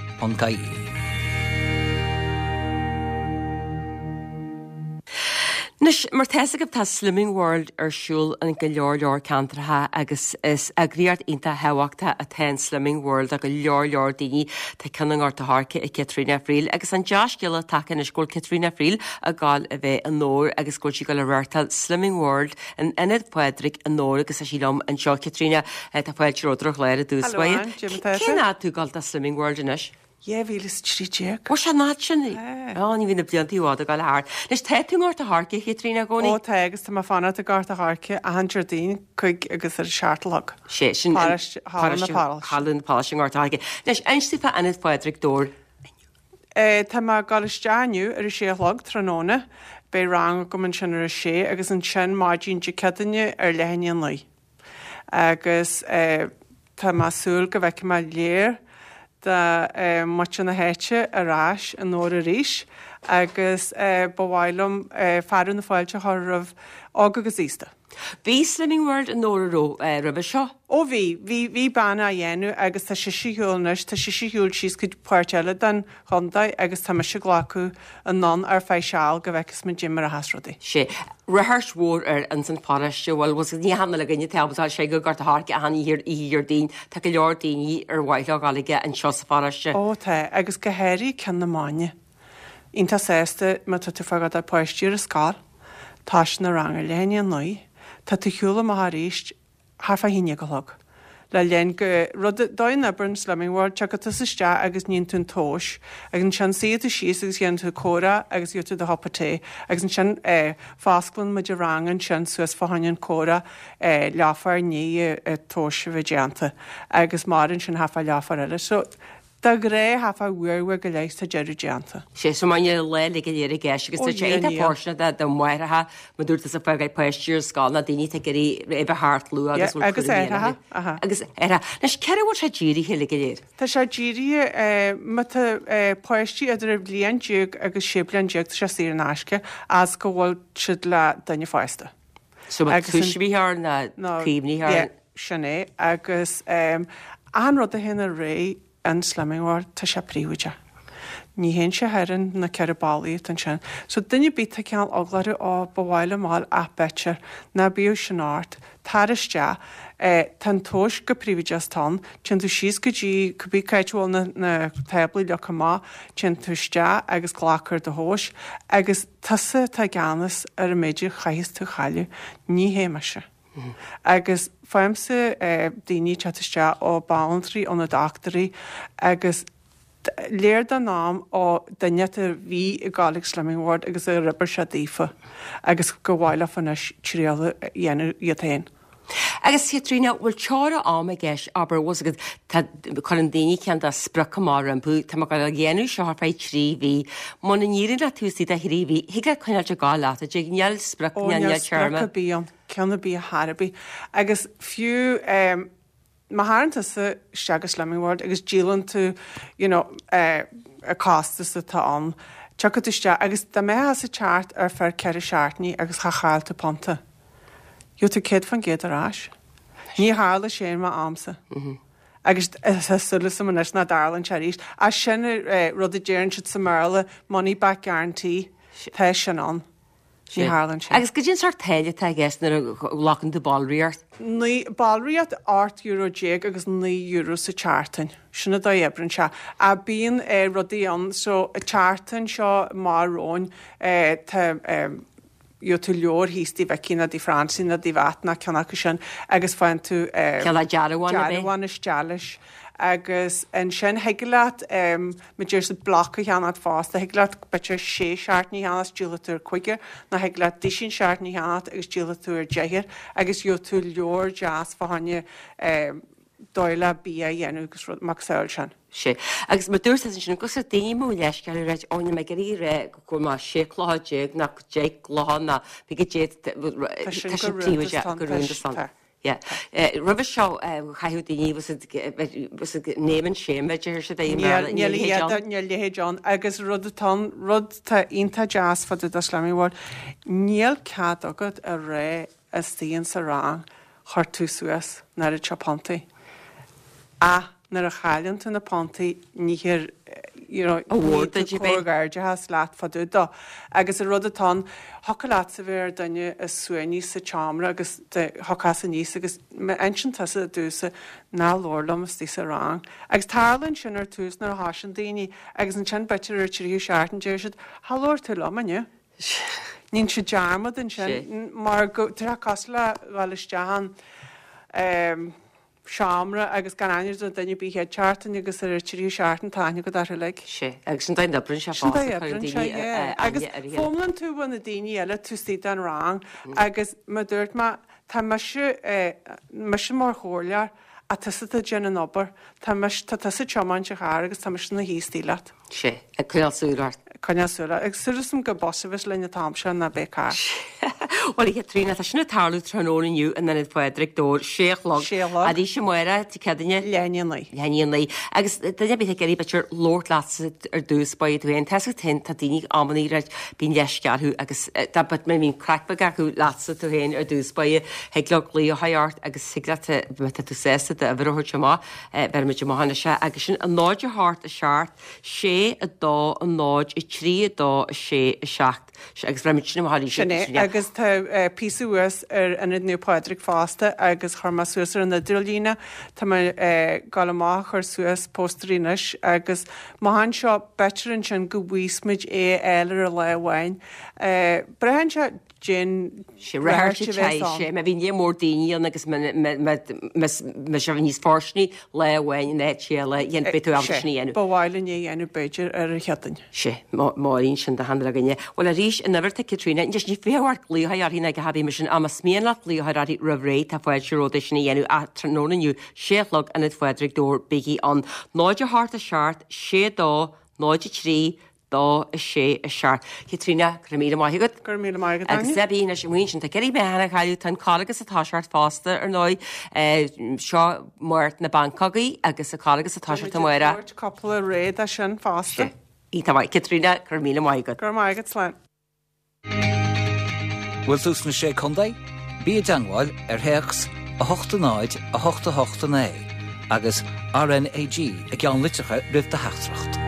Anois, mar tá fhios agaibh, tá Slimming World ar siúl in go leor leor ceantracha agus is eagraíocht iontach thábhachtach atá in Slimming World do go leor leor daoine. Tá ceann i nGort a' Choirce ag Caitríona Friel agus an dea-scéala tagtha anois go bhfuil Caitríona Friel ag gabháil a bheith i nDobhar agus go bhfuil sí ag gabháil a reáchtáil Slimming World in Ionad Phádraig i nDobhar agus tá sí liom anseo. Caitríona, tá fáilte romhat ar an chlár i dtús Hello Ann, cad é mar atá tú? Cén fhad tú ag gabháil do Slimming World anois? 2013. Bhfuil sé an fhad sin? Á, ní bhíonn na blianta i bhfad ag gabháil thart. Anois, tá tú i nGort a' Choirce, a Chaitríona, i gcónaí? Ó tá, agus tá mé ag fanacht i nGort a' Choirce achan Déardaoin, 5 agus ar a 7 a chlog. Sé, sin Paráiste, Halla na Paráiste. Halla na Paráiste i nGort a' Choirce. Anois, inis dúinn fá Ionad Phádraig Dobhair inniu. Tá mé ag dul isteach inniu ar a sé a chlog, tráthnóna. Beidh rang agam ansin ar a sé agus ansin maidin Dé Céadaoine ar leath i ndiaidh a 9. Agus tá mé ag súil go bhfeicfidh mé léar de mhuintir na háite ar ais i nDobhar arís. Agus ba mhaith liom fearadh na fáilte a chur roimh óg agus aosta. Bhí Slimming World i nDobhar an raibh roimhe seo? Ó bhí, bhí, bhí bean á dhéanamh agus tá sise ar shiúl anois, tá sise ar shiúl síos go páirt eile den chontae agus tá mise ag glacadh anonn ar feadh seal go bhfeicfeas muid caidé mar a theas rudaí. Sé. Ráchairt mhór air ins an pharóiste, bhuel, bhfuil 's ní hannamh le dhuine atá ábalta sé go Gort a' Choirce achan oíche oíche Dhéardaoin, tá go leor daoine ar mhaith leo dhul aige anseo sa pharóiste. Ó tá, agus go háirithe Cionn na Máine. Iontach sásta má tá tú ag fágáil do pháistí ar an scoil, toisíonn an rang ar leath i ndiaidh a 9, tá tú ar shiúl amach arís thart fá 11 a chlog. Le linn go rud dóigh a n-oibríonn Slimming World, tiocfaidh tusa isteach agus níonn tú an tomhas agus ansin suífidh tú síos agus dhéanann tú comhrá agus gheobhaidh tú do chupa tae agus ansin fosclann muid an rang ansin suas fá choinne an comhrá leathuair i ndiaidh an tomhas a bheith déanta agus maireann sin thart fá leathuair eile. So De ghnáth thart fá uair, uair go leith tá deireadh déanta. Sé so mar an lá uilig go léir i gceist agus tá sé iontach fóirsteanach do mháithreacha mar dúirt tusa ag fágáil páistí ar scoil nó daoine atá ag iarraidh a bheith thart luath agus bhfuil Agus cúram aithreacha, aha. Agus aithreacha. Anois cé air a bhfuil sé dírithe uilig go léir? Tá sé dírithe má tá páistí idir bhliain déag agus 16 bliain tá sé saor in aisce as go bhfuil siad le duine fásta. So má tuismitheoir nó caomhnaitheoir. Yeah, sin é. Agus achan rud a théann ar aghaidh in Slimming World, tá sé príobháideach. Ní théann sé thar na ceithre ballaí atá ansin. So duine ar bith atá cineál eagla orthu, ó, ba mhaith liom a fháil ach b'fhéidir ná bíodh sin ort, tar isteach. Tá an tomhas go príobháideach atá ann. Téann tú síos go dtí cibé cá háit a bhfuil na na táblaí leagtha amach, téann tú isteach agus glactar do thomhas agus Tusa atá i gceannas ar an méid a chaithfeas tú a chailleadh, ní hé mise. Agus faighimse daoine ag teacht isteach ó banaltraí, ó na dochtúirí agus léir don am ó duine a bhí ag gabháil ag Slimming World agus ar oibir sé daofa agus gur mhaith leofa anois triail a dhéanamh iad féin. Agus a Chaitríona, bhfuil teora ama i gceist, abair, bhfuil 's agat, tá, cuireann daoine cineál de sprioc amach rompu, tá mé ag gabháil a dhéanamh seo ar feadh trí mhí, muna n-éiríonn leat taobh istigh de thrí mhí, thig leat coinneáilt ag gabháil leat, a dtig, níl sprioc, Ó, níl níl sprioc téarma. ar bith ann, ceann ar bith ar chor ar bith. Agus fiú, eh, má thagann tusa isteach go Slimming World agus díolann tú, you know, eh, an costas atá ann, tiocfaidh tú isteach agus dá mbeifeása ag teacht ar feadh ceithre seachtainí agus cha chaill tú punta. Gheobhaidh tú 100% ar ais. Ní tharla sé in m'amsa. Agus tá súil agam anois nach dtarlaíonn sé arís. Ach sin rud a deireann siad sa mBéarla, money back guarantee. Tá sin ann. Ní tharlaíonn sé. Agus goidé an sórt táille atá i gceist nuair a ghlacann tú ballraíocht? Naoi, ballraíocht €18 déag agus €9 sa tseachtain. Sin an dóigh a oibríonn sé. Ach bíonn rudaí ann, so an tseachtain seo amach romhainn tá gheobhaidh tú leabhar thíos do Mhicí nó do Francie nó do Mhatt nó ceann acu sin agus faigheann tú Cineál dearbhán ar bith. dearbhán isteach leis agus ansin thig leat mar deir siad bloc a cheannacht fosta, thig leat b'fhéidir sé seachtainí a cheannacht díolfaidh tú ar cúigear nó thig leat duisín seachtainí a cheannacht agus díolfaidh tú ar deichniúr agus gheobhaidh tú leabhar deas fá choinne dóigh le bia a dhéanamh agus rud macasamhail sin. Sea. Agus mar dúirt tusa ansin, agus daoine mo leithscéal a ráit, ó níl mé ag iarraidh a rá go bhfuil mé sé chluiche déag ná deich gcluiche ná bí go dté Tá sin go rúnda go rúnda san. Yeah. Roimhe seo chaithfeadh daoine was it was it name and shame a deir siad é i mBéarla, Níl a leithéid ann. Níl a leithéid ann agus rud atá ann, rud atá iontach deas fá dtaobh de Slimming World, níl cead agat a rá istigh in sa rang chuir tú suas an oiread seo puntaí. Ach nuair a chailleann tú na puntaí ní hir you know ní tú comhghairdeachas leat fá dtaobh dó. Agus an rud atá ann, thiocfadh leatsa bheith ar duine is suaimhní sa tseomra agus thiocfása aníos agus má insíonn tusa i dtús ná labhair liom istigh sa rang. Agus tarlaíonn sin ar tús nuair a thosaíonn daoine agus ansin b'fhéidir ar an tríú seachtain deir siad, Cha labhair tú liom inniu. Déanann siad dearmad ansin mar go tá sé cosúil le dhul isteach in seomra agus gan aithne ar duine ar bith chéad seachtain agus ar an tríú seachtain tá aithne agat orthu uilig. Sea, agus sin dóigh a n-oibríonn sé Sin dóigh a oibríonn sé, yeah. Agus foghlaimíonn tú ó na daoine eile taobh istigh den rang agus mar dúirt mé, tá mise, mise mar chomhairleoir ach tusa atá ag déanamh an obair, tá mise, tá tusa ag tiomáint an chairr agus tá mise ina shuí istigh leat. Sea, ag coinneáil súil ort. Ag coinneáil súil ort. Agus súil agam gur bus a bheas linn an t-am seo ná beidh carr. Bhuel, a Chaitríona, tá sin ag tarlú tráthnóna inniu in Ionad Phádraig, Dobhar, sé a chlog. Sé a chlog. Arís amárach, Dé Céadaoine. Leath i ndiaidh a naoi. Leath i ndiaidh a naoi. Agus duine ar bith ag iarraidh b'fhéidir labhairt leatsa ar dtús báire tú féin. Tá 'fhios agat féin, tá daoine amannaí right, bíonn leisce orthu agus dá but má bhíonn craic beag acu leatsa tú féin ar dtús báire, thig leo glaoch a chur ort agus thig leat má tá tú sásta d'uimhir a thabhairt amach, bhéarfaimid amach anois é. Agus sin 0 8 7 6 2 0 3 2 6 7. Agus bhéarfaimid sin amach arís. Sin é, agus tá píosa thuas ar Ionad Naomh Pádraig fosta agus chuir mé suas ar an idirlíne, tá mé ag dul amach a chur suas póstairí anois agus amach anseo b'fhéidir ansin go bhfaighidh muid é a fháil ar an lá amháin. Braitheann sé cén Sé ráchairt a bheas ann. Sé, má bhíonn lear mór daoine ann agus má sé níos fóirsteanaí lá amháin in áit eile, beidh tú ábalta sin a dhéanamh. Ba mhaith linn é a dhéanamh b'fhéidir ar an Chéadaoin. Sé, Máirín sin do hand againne. Bhuel arís, an uimhir atá ag Caitríona, anois ní fiú ort glaoch uirthi ná go habaí mar sin, ach más mian leat glaoch uirthi roimh ré, tá fáilte romhat é sin a dhéanamh ach tráthnóna inniu, sé a chlog, Ionad Phádraig, Dobhar, bígí ann. 0 8 7 6 2 0 3 2 6 7. Caitríona, go raibh míle maith agat. Go raibh míle maith agat, Áine. Agus Debbie, anois amuigh ansin, tá ceithre mheán a chailleadh, tá an Carghas ag toiseacht fosta, ar ndóigh. Seo Máirt na bPancógaí agus an Carghas ag toiseacht amárach. Beidh muid ag tabhairt cúpla réidh de sin fosta. Iontach maith. Caitríona, go raibh míle maith agat. Go raibh maith agat, slán. Bhfuil tú sna Sé Contae? Bí i dteangmháil ar théacs 8 0 8 8 9 agus RNAG i gceannlitreacha roimh do theachtaireacht.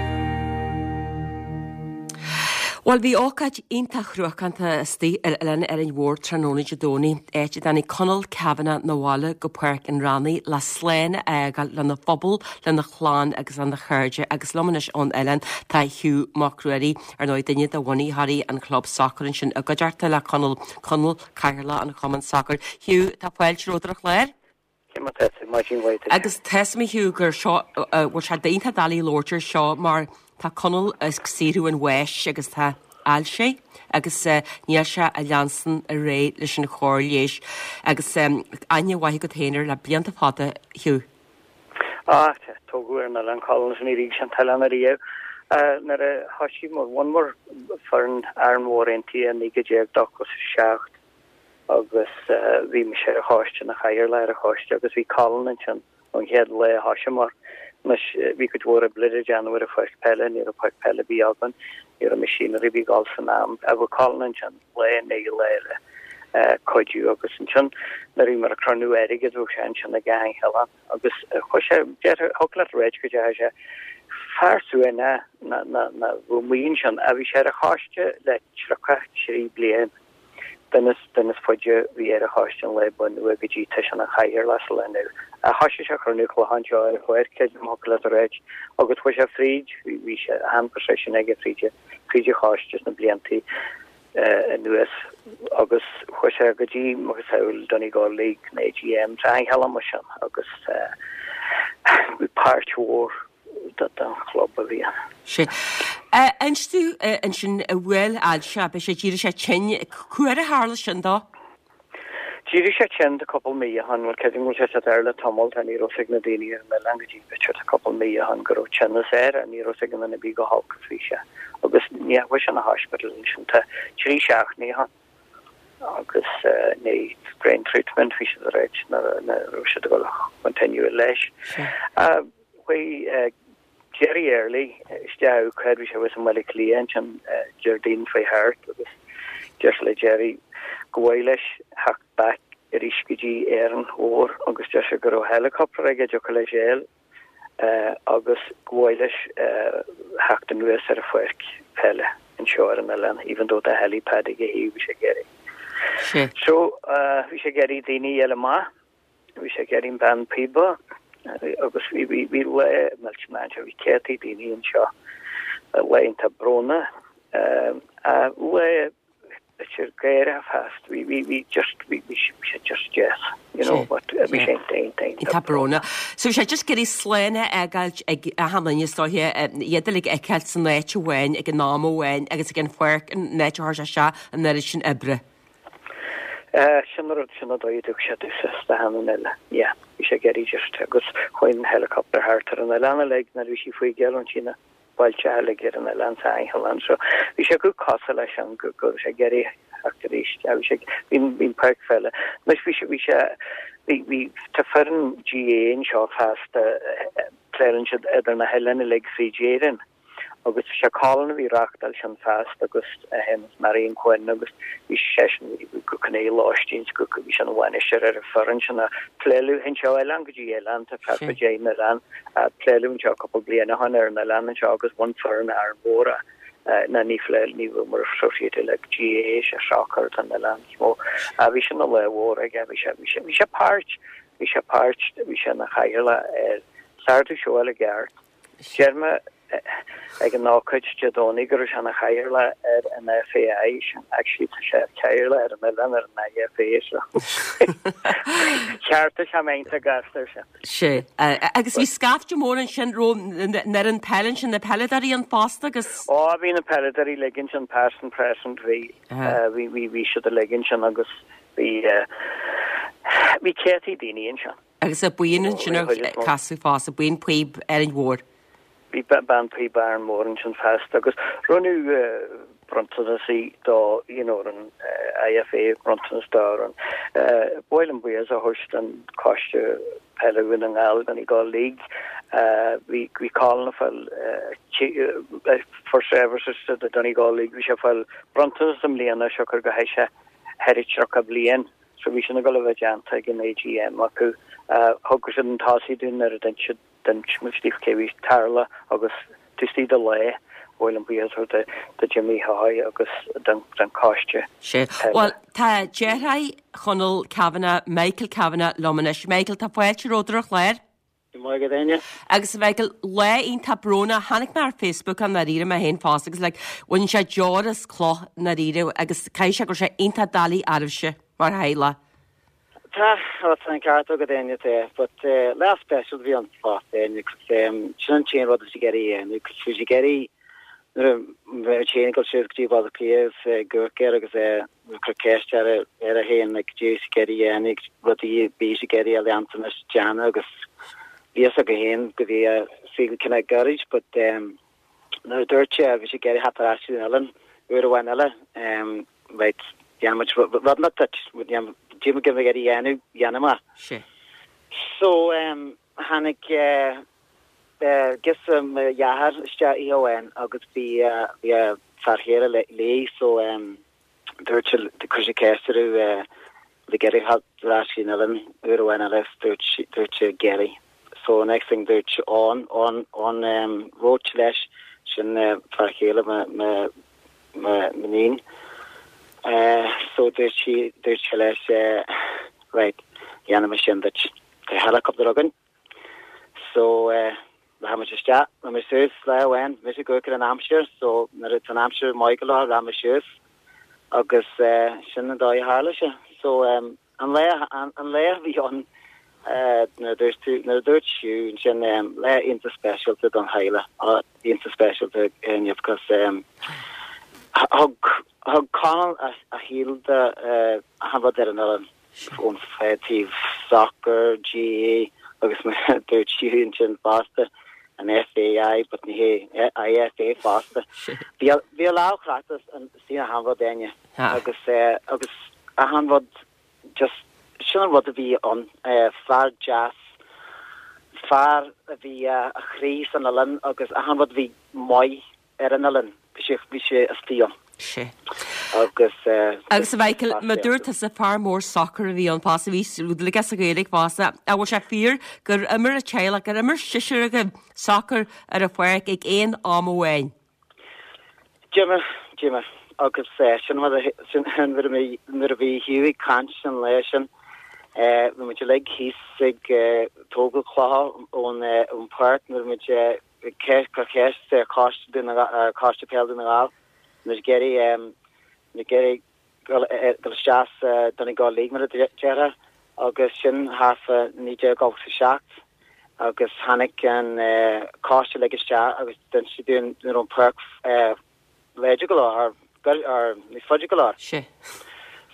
Bhuel, bhí ócáid iontach chruacánta istigh ar Oileán Árainn Mhór tráthnóna Dé Domhnaigh, áit a dtáinig Conall Kavanagh 'na bhaile go Páirc an Ránaigh le slán a fhágáil lena phobal, lena chlann agus lena chairde agus liom anois ón oileán tá Hugh Mac Ruairí. Ar ndóigh, duine de bhunaitheoirí an chlub sacair ansin i gcuideachta le Conall, Conall, Cathaoirleach an Chumainn Sacair. Hugh, tá fáilte romhat ar an chlár. Cé mar tá tú? Maidin mhaith duit. Agus tá 'fhios a'm a Hugh gur seo, bhfuil sé iontach doiligh labhairt ar seo mar tá Conall ag saothrú an bháis agus tá ailse agus níl sé ag leanstan ar aghaidh leis an chóir leighis agus aithne mhaith agat féin air le blianta fada, Hugh. Á, tógadh ar an oileán Colin is níor fhág sé an t-oileán ariamh. Nuair a thoisigh muid, bhunaíomar foireann Árainn Mhór Aontaithe i 1987 agus bhí mise ar an choiste, ina chathaoirleach ar an choiste agus bhí Colin ansin ón chéad lá a thosaíomar. Anois, bhí cuid mhór oibre le déanamh ar an pháirc peile, ní raibh páirc peile ar bith againn, ní raibh machinery ar bith ag dul san am, ach bhí Colin ansin lá i ndiaidh lae le cuidiú agus ansin nuair a bhíomar ag cruinniú airgid bheadh sé ansin ag achan cheann agus chuaigh sé, déarfá, thig leat ráit go dteachaigh sé fear suaimhneach ná ná ná bheadh amuigh ansin ach bhí sé ar an choiste le 33 bliain, duine duine is faide a bhí ar an choiste ón lá a bunaíodh é go dtí tá sé ina chathaoirleach sa lá inniu. Ach thoisigh sé ag cruinniú clocha anseo ar an pháirc, creidim thig leat a ráit, agus chuaigh sé fríd, bhí bhí sé achan position aige fríd fríd an choiste sna bliantaí. anuas agus chuaigh sé go dtí macasamhail Donegal League na AGM sa cheann mar sin agus bhí páirt mhór den chlub a bhí ann. Sea. Inis domh ansin bhuail ailse, beidh sé d'éirigh sé tinn, cá huair a tharla sin dó? D'éirigh sé tinn tá cúpla mí ó shin, bhuel creidim go bhfuil sé air le tamall, tá ní raibh 'fhios ag na daoine ar an oileán go dtí b'fhéidir tá cúpla mí ó shin go raibh tinneas air ach ní raibh 'fhios ag aon duine ar bith chomh holc is bhí sé agus ní chuaigh sé 'na hospital ansin tá trí seachtainí ó shin agus ní brain treatment bhí siad ag ráit nuair a raibh siad ag dul continue leis. Chuaigh Jerry Early isteach cá bhí sé thuas i mBaile Átha Cliath ansin Déardaoin faoi thart agus deir sé le Jerry go mhaith leis theacht back arís go dtí Árainn Mhór agus deir sé go raibh helicopter aige dtiocfadh leis a fháil agus go mhaith leis theacht anuas ar an pháirc peile anseo ar an oileán even though tá helipad ag a thaobh bhí sé ag iarraidh. So bhí sé ag iarraidh daoine a fháil amach Bhí sé ag iarraidh an bean píoba agus bhí bhí bhí lá millteanach anseo, bhí céadtaí daoine anseo, lá iontach brónach, lá b'fhéidir gáireach fosta, bhí bhí bhí just bhí bhí sé just deas, you know, but bhí sé iontach iontach iontach brónach. So bhí sé just ag iarraidh slán a fhágáilt ag achan duine is dóiche, iad uilig a fheiceáilt san áit amháin ag an am amháin agus ag an pháirc an áit a chuir sé isteach an oiread sin oibre. Sin an rud, sin an dóigh a dtug sé domhsa is d'achan duine eile. Yeah, bhí sé ag iarraidh just, agus chuaigh an helicopter thart ar an oileán uilig nuair a bhí sí faoi gheall ansin na bailte uilig ar an oileán sa Aingheal so bhí sé go cosúil leis sin go go raibh sé ag iarraidh. Ach arís, bhí sé, bhí an páirc pheile. Anois bhí sé, bhí sé, bhí, bhí, tá foireann GAA anseo feasta, pléileann siad idir na hoileáin uilig fríd Éirinn. Agus bhí sé Colin a bhí ag reachtáil sin feasta agus é féin is Marion Quinn agus bhí seisean go cineál lóistín go bhí sé ina bhainisteoir ar an foireann sin a pléileadh anseo oileán go dtí oileán tá fear fá dteich n-oileán a pléileadh anseo cúpla bliain ó shin ar an oileán anseo agus bhain foireann Árainn Mhór ná ní phléil ní bhfuil mar associated le GAA sé soccer atá an oileán is mó a bhí sin ina lá mhór aige bhí sé bhí sé bhí sé páirt bhí sé páirt bhí sé ina chathaoirleach ar Sardú seo i gceart Deir mé ag an ócáid Dé Domhnaigh go raibh sé ina chathaoirleach ar an FAI, sin actually tá sé cathaoirleach ar an oileán ar an IFA so cheartaigh sé mé iontach gasta ar sin. Sea. Agus bhí scaifte mór ansin raibh ar an peil ansin, na peileadóirí ann fosta agus. Ó bhí na peileadóirí uilig ansin past and present bhí bhí bhí bhí siad uilig ansin agus bhí bhí céadtaí daoine ansin. Agus an buíon ansin ar casadh fosta, buíon píob Árainn Mhór. Bhí bean píob Árainn Mhór ansin feasta agus rinneadh bronntanas do you know an IFA bronntanas do an ba mhaith liom buíochas a thabhairt don Choiste Peile Dhún na nGall Donegal League. Bhí bhí Colin ag fáil for services to the Donegal League bhí sé ag fáil bronntanas i mbliana siocair go theith sé thar 30 bliain. So bhí sin ag dul a bheith déanta ag an AGM acu. Thug siad chun tosaigh dúinn nuair a d'inis siad, d'inis muid daofa cé bhí ag tarlú agus taobh istigh de lá, ba mhaith liom buíochas a thabhairt do Jimmy Hoy agus don choiste Sea. peile. Bhuel, tá deartháir Chonall Kavanagh, Michael Kavanagh, liom anois. Michael, tá fáilte romhat ar an chlár. Go maith agat Áine. Agus a Mhichael, lá iontach brónach, chonaic mé ar Facebook i ndáiríre mé féin fosta agus like bhain sé deoir as cloch i ndáiríre agus caithfidh sé go raibh sé iontach doiligh oraibhse mar theaghlach. Tá, tá an ceart agat Áine, tá, but lá special a bhí ann fosta Áine, 'cause sin an t-aon rud a bhí sé ag iarraidh a dhéanamh, 'cause bhí sé ag iarraidh nuair a bhí sé ag dul suas go dtí Baile Átha Cliath agus ag amharc air agus é ag cur ceist air air féin like cad é a bhí sé ag iarraidh a dhéanamh rudaí a bhí sé ag iarraidh a leanúint a dhéanamh agus bhí fhios aige féin go bhí a saol cineál gairid but um, nuair a dúirt sé bhí sé ag iarraidh theacht ar ais go dtí an oileán uair amháin eile um, right dhéanfaidh muid rud inteacht duit cad é a bhí ag iarraidh a dhéanamh dhéanfaidh mé. Sea. So um, tháinig uh, Girseach mo dhearthár isteach oíche amháin agus bhí bhí a fear chéile léi so dúirt sí chuir sí ceist uirthi an bhfuil ag iarraidh theacht ar ais go dtí an oileán uair amháin eile agus dúirt sí dúirt sí ag iarraidh. So next thing dúirt Eoin Eoin Eoin Roche leis sin fear chéile mo mo mo m'iníon so dúirt sí dúirt sé leis right dhéanfaidh mé sin duit. Tá helicopter againn. So eh rachaidh muid isteach, rachaidh muid suas lá amháin, mise ag amharc ar an aimsir, so nuair atá an aimsir maith go leor rachaidh muid suas agus eh sin an dóigh a tharla sé. So eh an lá an lá a bhí ann eh nuair a dúirt tú nuair a dúirt Hugh ansin eh lá iontach speisialta don theaghlach, iontach speisialta inniu because eh thug thug Conall a a shaol do eh achan rud ar an oileán. ón taobh soccer, GAA agus mar a dúirt Hugh ansin fosta, an FAI, but ní hé, IFA fosta. Bhí a lámh crochta istigh in achan rud, Áine, agus agus achan rud just sin an rud a bhí ann, fear deas, fear a bhí a chroí san oileán agus achan rud a bhí maith ar an oileán. Bhí sé, bhí sé istigh ann. Sea. Agus eh. Agus a Mhichael, mar a dúirt tusa fear mór sacair a bhí ann fosta, bhí rud aige sa Ghaeilge fosta. An bhfuil sé fíor gur imir an teaghlach, gur imir seisear agaibh sacar ar an pháirc ag aon am amháin? D'imir, d'imir. Agus eh, sin rud a, sin nuair a bhí, nuair a bhí Hugh ag caint an lá sin, eh, bhí muid uilig thíos ag eh, tógáil clocha ón eh, ón pháirc nuair a bhí muid eh, cur ceist ar Choiste Dún na Gall, Coiste Peile Dún na Gall, muid ag iarraidh, muid ag iarraidh dul dul isteach sa Donegal League mar a déarfá agus sin thart fá 1987 agus tháinig an coiste uilig isteach agus d'inis siad dúinn go raibh an pháirc láidir go leor, or níos faide go leor. Sea.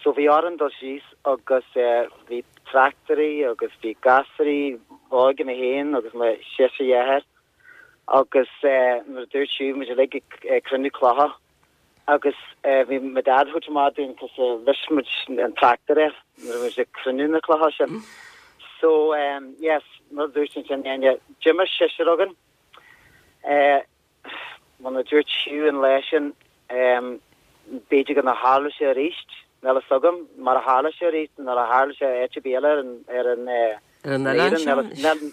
So bhí orainn dul síos agus bhí tractairí agus bhí gasúraí óga mé féin agus mo seisear dheartháir agus nuair a dúirt Hugh muid uilig ag cruinniú clocha. Agus bhí mo dad ag tabhairt amach dúinn cos bhris muid an tractor air nuair a bhí muid ag cruinniú na clocha sin. So yes, mar a dúirt ansin Áine, d'imir seisear againn. Mar a dúirt Hugh an lá sin, b'fhéidir go nár tharla sé arís, níl a fhios agam, mar a tharla sé arís, nuair a tharla sé áit ar bith eile ar an, ar an, Ar an oileán sin?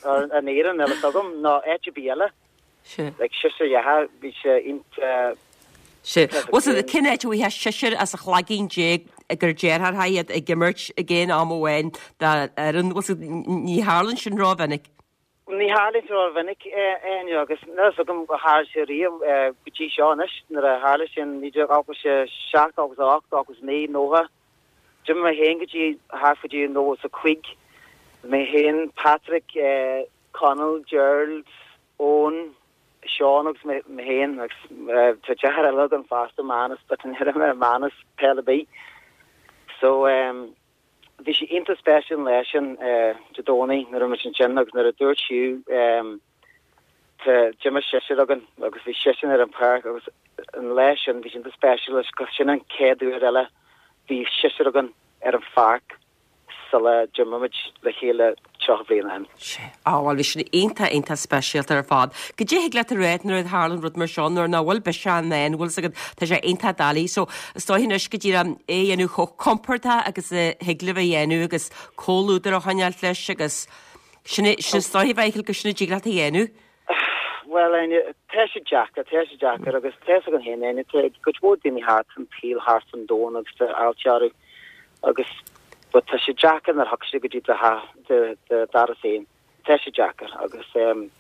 Ar an Éirinn, níl a fhios agam, nó áit ar bith eile. Sea. Like seisear dheartháir, bhí sé iontach. Sea. Bhuel, so cén áit a bhfaighfeá seisear as an chlaigín déag gur deartháireacha iad ag imirt ag aon am amháin d'fhoireann? Bhuel, so ní tharlann sin rómhinic. Ní tharlaíonn sé rómhinic, Áine, agus níl a fhios agam ar tharla sé riamh go dtí seo anois. Nuair a tharla sé in 1987, 88, 89, 90, d'imir mé féin go dtí thart fá dtí 95. Mé féin, Patrick, Conall, Gerald, Eoin, Seán agus mé féin agus tá deartháir eile agam fosta, Manus, but ní raibh Manus peil ar bith. So, Bhí sé iontach speisialta an lá sin Dé Domhnaigh nuair a bhí muid ansin agus nuair a dúirt Hugh tá d'imir seisear againn agus bhí seisean ar an pháirc agus an lá sin bhí sé iontach speisialta cos sin an chéad uair eile bhí seisear againn ar an pháirc sula d'imir muid le chéile 30 bliain ó shin. Sea. Á, bhuel, bhí sin iontach, iontach speisialta ar fad. Goidé thig leat a rá nuair a tharlann rud mar seo, nuair nach bhfuil biseach i ndán, bhfuil 's agat, tá sé iontach doiligh. So, is dóigh anois go díreach é a dhéanamh chomh compordach agus a thig libh a dhéanamh agus comhluadar a choinneáilt leis agus sin é, sin is dóigh, a Mhichael, gur sin a dtig leat a dhéanamh. Bhuel, Áine, tá sé deacair, tá sé deacair agus tá 'fhios againn féin, Áine, tá cuid mhór daoine thart an tsaol, thart an domhan agus tá fáilte orthu agus but tá sé deacair nuair a thiocfaidh sé go dtí do do do doras féin, tá sé deacair agus um,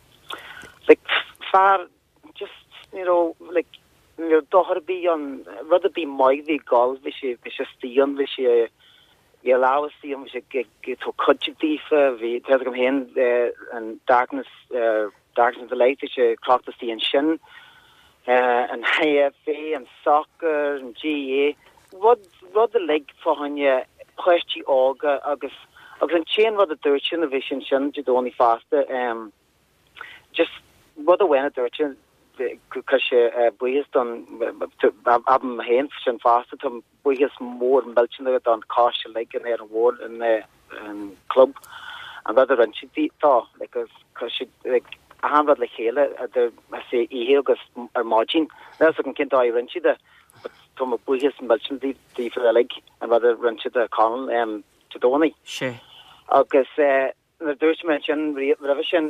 like, fear just ní raibh like, ní raibh dochar ar bith ann, rud ar bith maith bhí ag gol, bhí sé bhí sé istigh ann, bhí sé bhí a lámh istigh ann, bhí sé ag ag tabhairt cuidiú daofa, bhí tá 'fhios agam féin an darkness darkness of the light, bhí sé crochta istigh ansin, an IFA, an soccer, an GAA, rud rud uilig fá choinne páistí óga agus agus an t-aon rud a dúirt sé nuair a bhí sé ansin Dé Domhnaigh fosta, Just rud amháin a dúirt sé, chuir sé buíochas don, abair mé féin sin fosta, tá buíochas mór millteanach don choiste uilig in Árainn Mhór, an club, an rud a rinne siad dó, like chuir siad like achan rud le chéile idir say oíche agus ar maidin. Níl a fhios agam cén dóigh a rinne siad é but tá mo buíochas millteanach daofa uilig an rud a rinne siad do Conall Dé Domhnaigh. Sea. Agus eh. Nuair a dúirt mé ansin roimhe sin,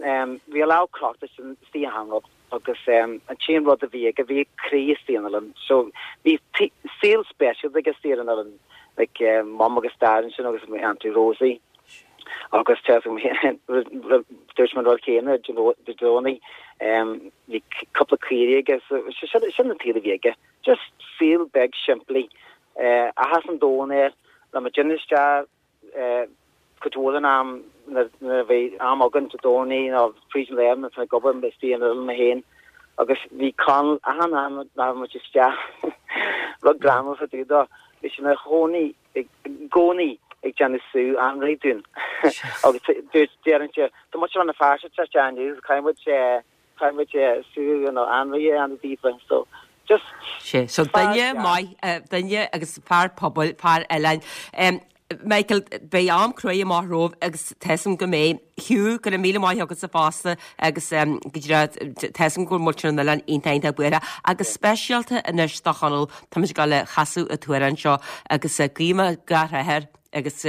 bhí a lámh crochta istigh achan rud agus an t-aon rud a bhí aige, bhí a chroí istigh an oileán. So bhí saol speisialta aige istigh ar an oileán, like Mum agus Dad ansin agus Auntie Rosie agus tá dúirt mé an rud céanna Dé Domhnaigh, bhí cúpla caoirigh aige, so sin an tsaol a bhí aige. Just saol beag simplí. Áthas an domhain air, le muid isteach Cuid mhór den am nuair a bhí am againn Dé Domhnaigh nó fríd an lae nuair ag obair istigh an oileán mé féin agus bhí Conall achan am a raibh muid isteach rud greannmhar fá dtaobh dó bhí sé ina chónaí i gcónaí ag déanamh sú anraith dúinn agus dúirt deireann sé tá muid Rann na Feirste isteach inniu caithfidh muid Caithfidh muid sú nó anraith a dhéanamh daofa so just Sea, so duine maith, duine agus fear pobail, fear oileáin. Michael, beidh am cruaidh amach romhaibh agus tá 'fhios a'm go mbeidh. Hugh, go raibh míle maith agatsa fosta agus go díreach tá 'fhios a'm go bhfuil muintir an oileáin iontach iontach buartha agus speisialta anois do Chonall, táimid ag dul a chasadh an t-amhrán seo agus guím gach rath air agus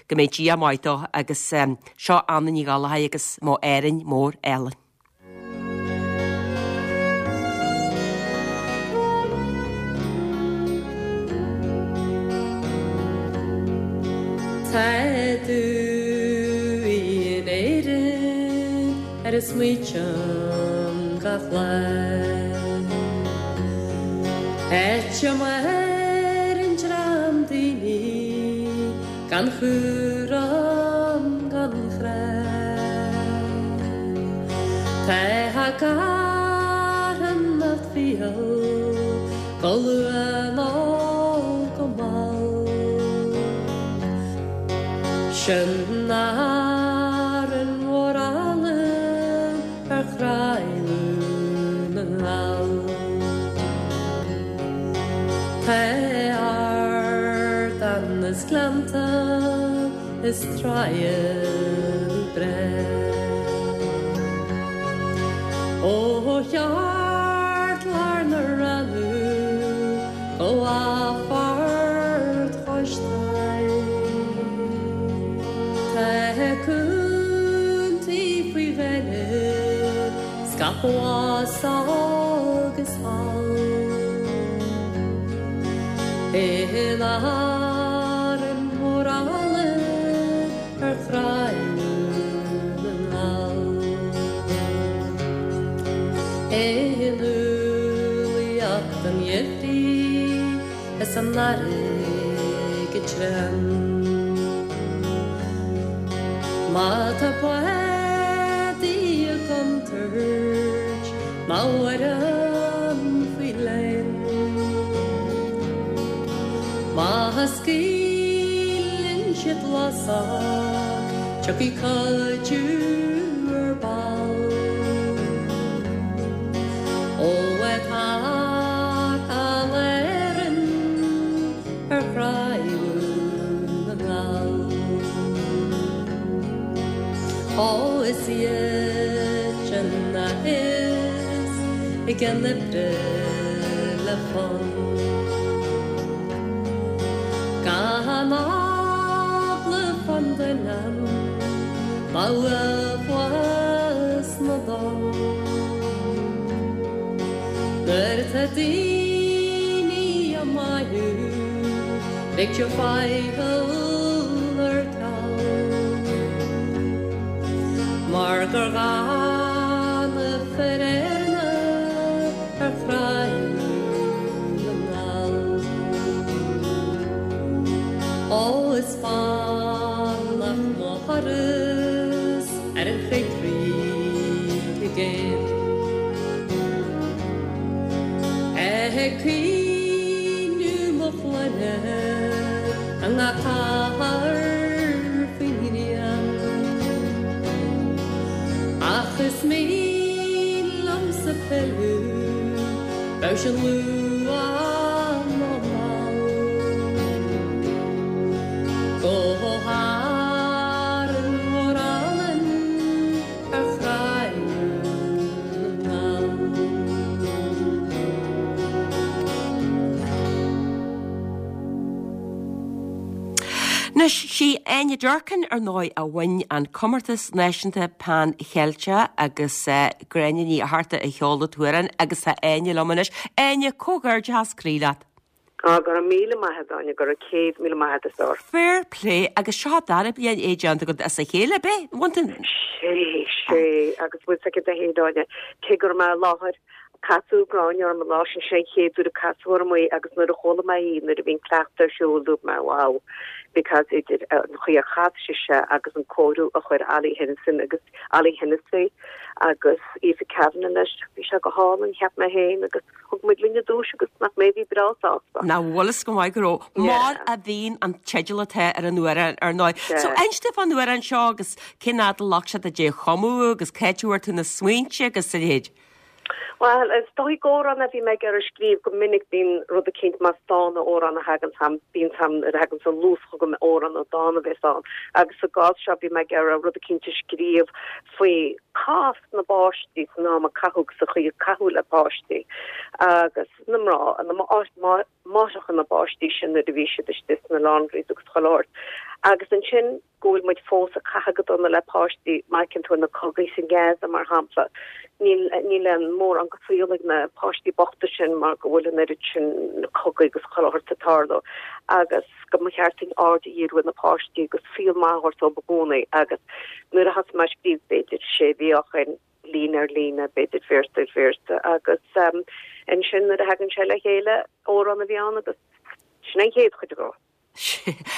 go mbeidh Dia maith dó agus seo Anna Ní Ghallchóir agus Mo Árainn Mór Álainn. Tá tú in Éirinn ar a smaoitím gach lá. Áit a maireann dream daoine gan chúram gan chrá. Tá a gcarthanacht fial go luath nó go mall. Sin Árainn mhór álainn ar chroí Dhún na nGall. gleannta is tráighe breá. Ó cheartlár na Rannán go Phort Chois Trá. Tá contae faoi ghainimh scaipthe abhus agus thall. In Árainn Mhór Álainn ar Thráigh Dhún na nGall. In umhlaíocht an gheimhridh is an earraigh go tréan. Má tá bádaí i gcontúirt ná amhráin faoi léan. Má scaoileann siad lasach tiocfaidh cuidiú ar ball. Ó tá Éirinn ar Thráigh Dhún na nGall. Ó is iad sin a théas i gcionn oibre le fonn. Gan eagla fán oileán ná uathbhás na dtonn. Nuair atá daoine á maíomh ligtear faichill ar ceal. Mar gur dhána fir Éireanna ar Thráigh Dhún na nGall. Ó is fánach mo thuras ar an choigrích i gcéin. Ag caoineadh mo chlainne i ngach cathair faoin ngrian. Ach is mian liomsa pilleadh, bíodh sin luath nó mall. Go hÁrainn Mhór Álainn ar Thráigh Dhún na nGall. Anois, sí Áine Durkin, ar ndóigh, a bhain an Comórtas Náisiúnta Pan Cheilteach agus Gráinne Ní Fhatharta a cheol an t-amhrán agus tá Áine liom anois. Áine, comhghairdeachas croí leat. Á, go raibh míle maith agat, Áine, go raibh 100,000 maith agat, a stór. Fair play, agus seo an dara bliain é déanta agat as a chéile, ab é? Bhain tú. Sé, sé, agus bhfuil 's agat a Áine, cé go raibh mé i láthair, Casadh Gráinne orm an lá sin, sin an chéad uair a casadh orm í agus nuair a chuala mé í nuair a bhí an cleachtadh ar siúl dúirt mé wow because idir an chaoi ar chas sise agus an cóiriú a chuir Ollie Hennison agus Ollie Hennessy agus Aoife Kavanagh leis, bhí sé go hálainn cheap mé féin agus thug muid linn an duais agus nach mé a bhí breá sásta. Nach bhfuil fhios go maith go raibh. Mar a bhíonn an teideal atá ar an amhrán ar ndóigh. So inis domh fán amhrán seo agus cén fhad a ghlac sé duit é a chumadh agus cá háit a bhfuair tú na smaointe agus a leithéid. Bhuel, is dóigh gur amhrán a bhí mé ag iarraidh scríobh go minic bíonn rud eicínt más dán nó amhrán a thagann chugam, bíonn 's a'm nuair a thagann an luas chugam amhrán nó dán a bheas ann agus sa gcás seo bhí mé ag iarraidh rud eicínt a scríobh faoi cás na bpáistí san am a caitheadh agus an chaoi a caitheadh le páistí agus na mná, na máithreacha na bpáistí sin nuair a bhí siad istigh sna laundries agus chuile shórt agus ansin go bhfuil muid fós ag caitheamh go dona le páistí, má fheiceann tú na cogaí sa Gaza mar shampla, níl níl aon mórán go saol ag na páistí bochta sin mar go bhfuil an oiread sin cogaí agus chuile shórt ag tarlú agus go mba cheart dúinn aird a dhíriú ar na páistí agus saol maith a thabhairt dóibh i gcónaí agus nuair a thosaigh mé ag scríobh b'fhéidir sé mhí ó shin, líne ar líne, b'fhéidir véarsa ar véarsa agus ansin nuair a thagann sé le chéile, amhrán a bhí ann agus sin an chéad chuid dhó.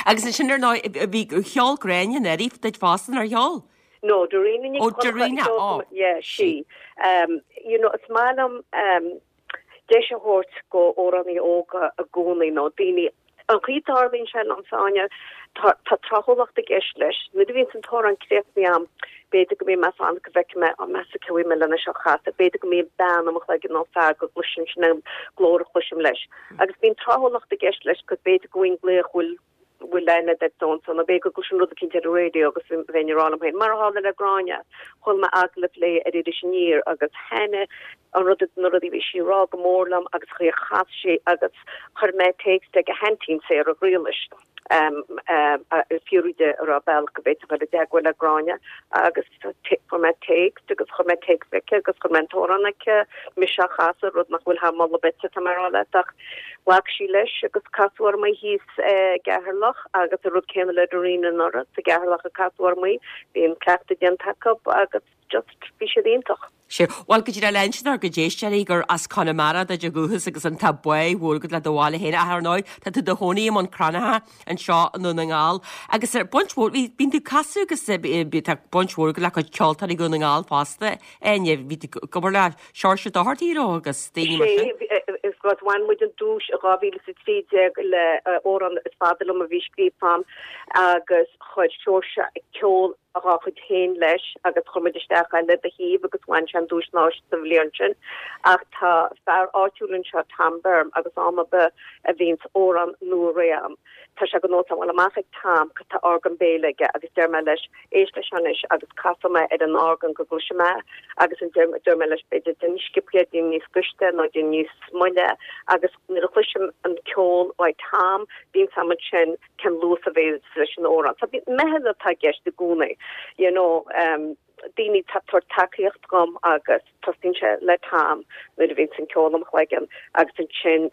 Agus ansin ar ndóigh, bhí, cheol Gráinne anuraidh duit fosta, nár cheol? No, Darina Nic Ó, Darina, ó. Yeah, sí. Um, you know, is maith liom um, deis a thabhairt go amhránaí óga i gcónaí nó daoine an chaoi a dtarlaíonn sé liomsa, Áine, tá tá tráthúlacht i gceist leis. Nuair a bhíonns an t-amhrán críochnaithe a'm, b'fhéidir go mbíonn mé ag fanacht go bhfeicfidh mé, á meas tú cé bhfuil mé lena seo chasadh, b'fhéidir go mbíonn bean i mo chloigeann nó fear go gcloiseann sin an glór a chloisim leis. Agus bíonn tráthúlacht i gceist leis, 'cause b'fhéidir go bhfuil glaoch bhfuil. Bhfuil aithne agat ar so and so nó b'fhéidir go gcloisim rud eicínt ar an raidió agus bheinn ag rá liom féin, mar a tharla le Gráinne, chuala mé agallamh léi ar Iris Aniar agus thaitnigh an rud, na rudaí a bhí sí ag rá go mór liom agus an chaoi a chas sí agus chuir mé téacs chuig a haintín Sarah Ghriallais ag fiafraí di an raibh bealach go bhféadfainn dul i dteagmháil le Gráinne agus fuair mé téacs agus chuir mé téacs chuici agus chuir mé an t-amhrán chuici, mise á chasadh, rud nach bhfuil thar moladh beirte tá mé ag rá leat ach ghlac sí leis agus casadh orm í thíos i gCeatharlach agus an rud céanna le Darina anuraidh, sa gCeatharlach a casadh orm í, bhí an cleachtadh déanta acu agus just bhí siad iontach. Sea. Bhuel, go díreach le insint dár gcuid éisteoirí gur as Conamara duit ó dhúchas agus an tá bá mhór agat le do bhaile féin. Ach ar ndóigh, tá tú i do chónaí i mBun Cranncha anseo i nDún na nGall. Agus ar baint mhór, bhí, bíonn tú ag casadh agus eh, tá baint mhór agat le cuid ceoltóirí Dhún na nGall fosta. Áine, bhí tú ag obair le Seoirse Doherty, raibh, agus daoine mar sin. Sea, is go bhain muid an duais i 2013 le amhrán Is Fada Liom a bhí scríofa agam agus chuir Seoirse ceol dá chuid féin leis agus chuir muid isteach é le do thaobh agus bhain sé an duais náisiúnta sa bhliain sin. Ach tá fear áitiúil anseo, Tom Byrne, agus am ar bith a bhíonns amhrán nua réidh agam, tá sé de nós agam dul amach chuig Tom, tá orgán béil aige agus deir mé leis, éist leis seo anois agus casfaidh mé ar an orgán go gcloisfidh mé agus an deir mé leis b'fhéidir déan níos sciobtha é, déan níos gaiste nó déan níos moille agus nuair a chloisim an ceol uaidh Tom, bíonn a fhios agam ansin cén luas a bheas leis an amhrán. So meitheal atá i gceist i gcónaí, you know, daoine atá ag tabhairt tacaíocht dhom agus tosaíonn sé le Tom nuair a bhíonns an ceol im chloigeann agus ansin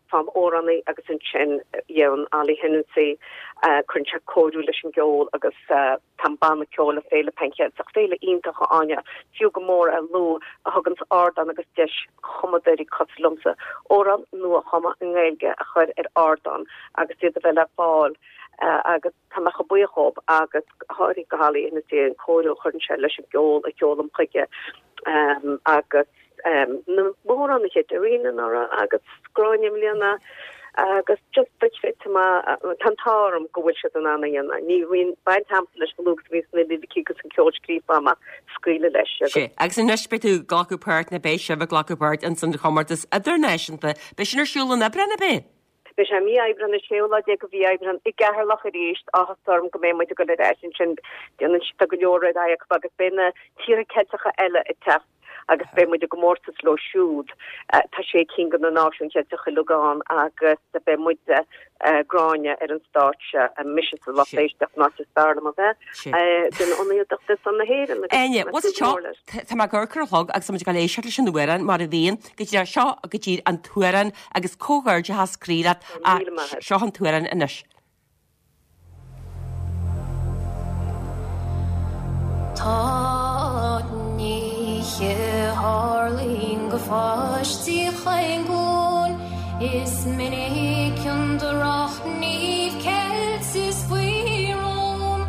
faighim amhránaí agus ansin dhéanann Ollie Hennessy, cuireann sé cóiriú leis an gceol agus Tá an banna ceoil le Féile Pan Cheilteach, féile iontach, a Áine, fiú go mór a lua, a thuganns ardán agus deis chumadóirí cosúil liomsa amhráin nua a chumadh i nGaeilge a chur ar ardán agus iad a bheith le fáil agus tá mé chomh buíoch dhób agus go háirithe go Holly Hennessy an cóiriú a chuireann sé leis an gceol a sheolaim chuige agus na hamhránaithe, Darina anuraidh agus Gráinne i mbliana agus just duit féin tá mé, tá an t-ádh orm go bhfuil siad in ann a dhéanamh. Ní bhíonn baint agamsa leis chomh luath agus a bhíonns na liricí agus an ceol scríofa agam ach scaoileadh leis agus. Sea, agus anois beidh tú ag glacadh páirt, nó beidh sibh ag glacadh páirt ins an chomórtas idirnáisiúnta. Beidh sin ar siúl in Aibreán, ab é? Beidh sé i mí Aibreán, an séú lá déag de mhí Aibreán, i gCeatharlach arís. Áthas orm go mbeidh muid ag dul ar ais ansin. Déanann siad, tá go leor ar aghaidh acu agus beidh na tíortha Ceilteacha eile ag teacht agus beidh muid i gcomórtas leo siúd. Tá sé cinn de na náisiúin Cheilteacha uilig ann agus beidh muide, Gráinne, ar an stáitse, mise sa lucht éisteachta, an áit is fearr liom a bheith, ag déanamh ionadaíocht ar son na hÉireann agus Áine, tá mé ag súil go mór leis. Tá mé ag amharc ar an chlog agus tá muid ag dul éisteacht leis an amhrán mar a bhíonn. Go dtí seo go dtí an t-amhrán agus comhghairdeachas croí leat. Seo an t-amhrán anois. Tá nithe a tharlaíonn do pháistí chaon ghlúin Is minic an drochghníomh ceilte is faoi rún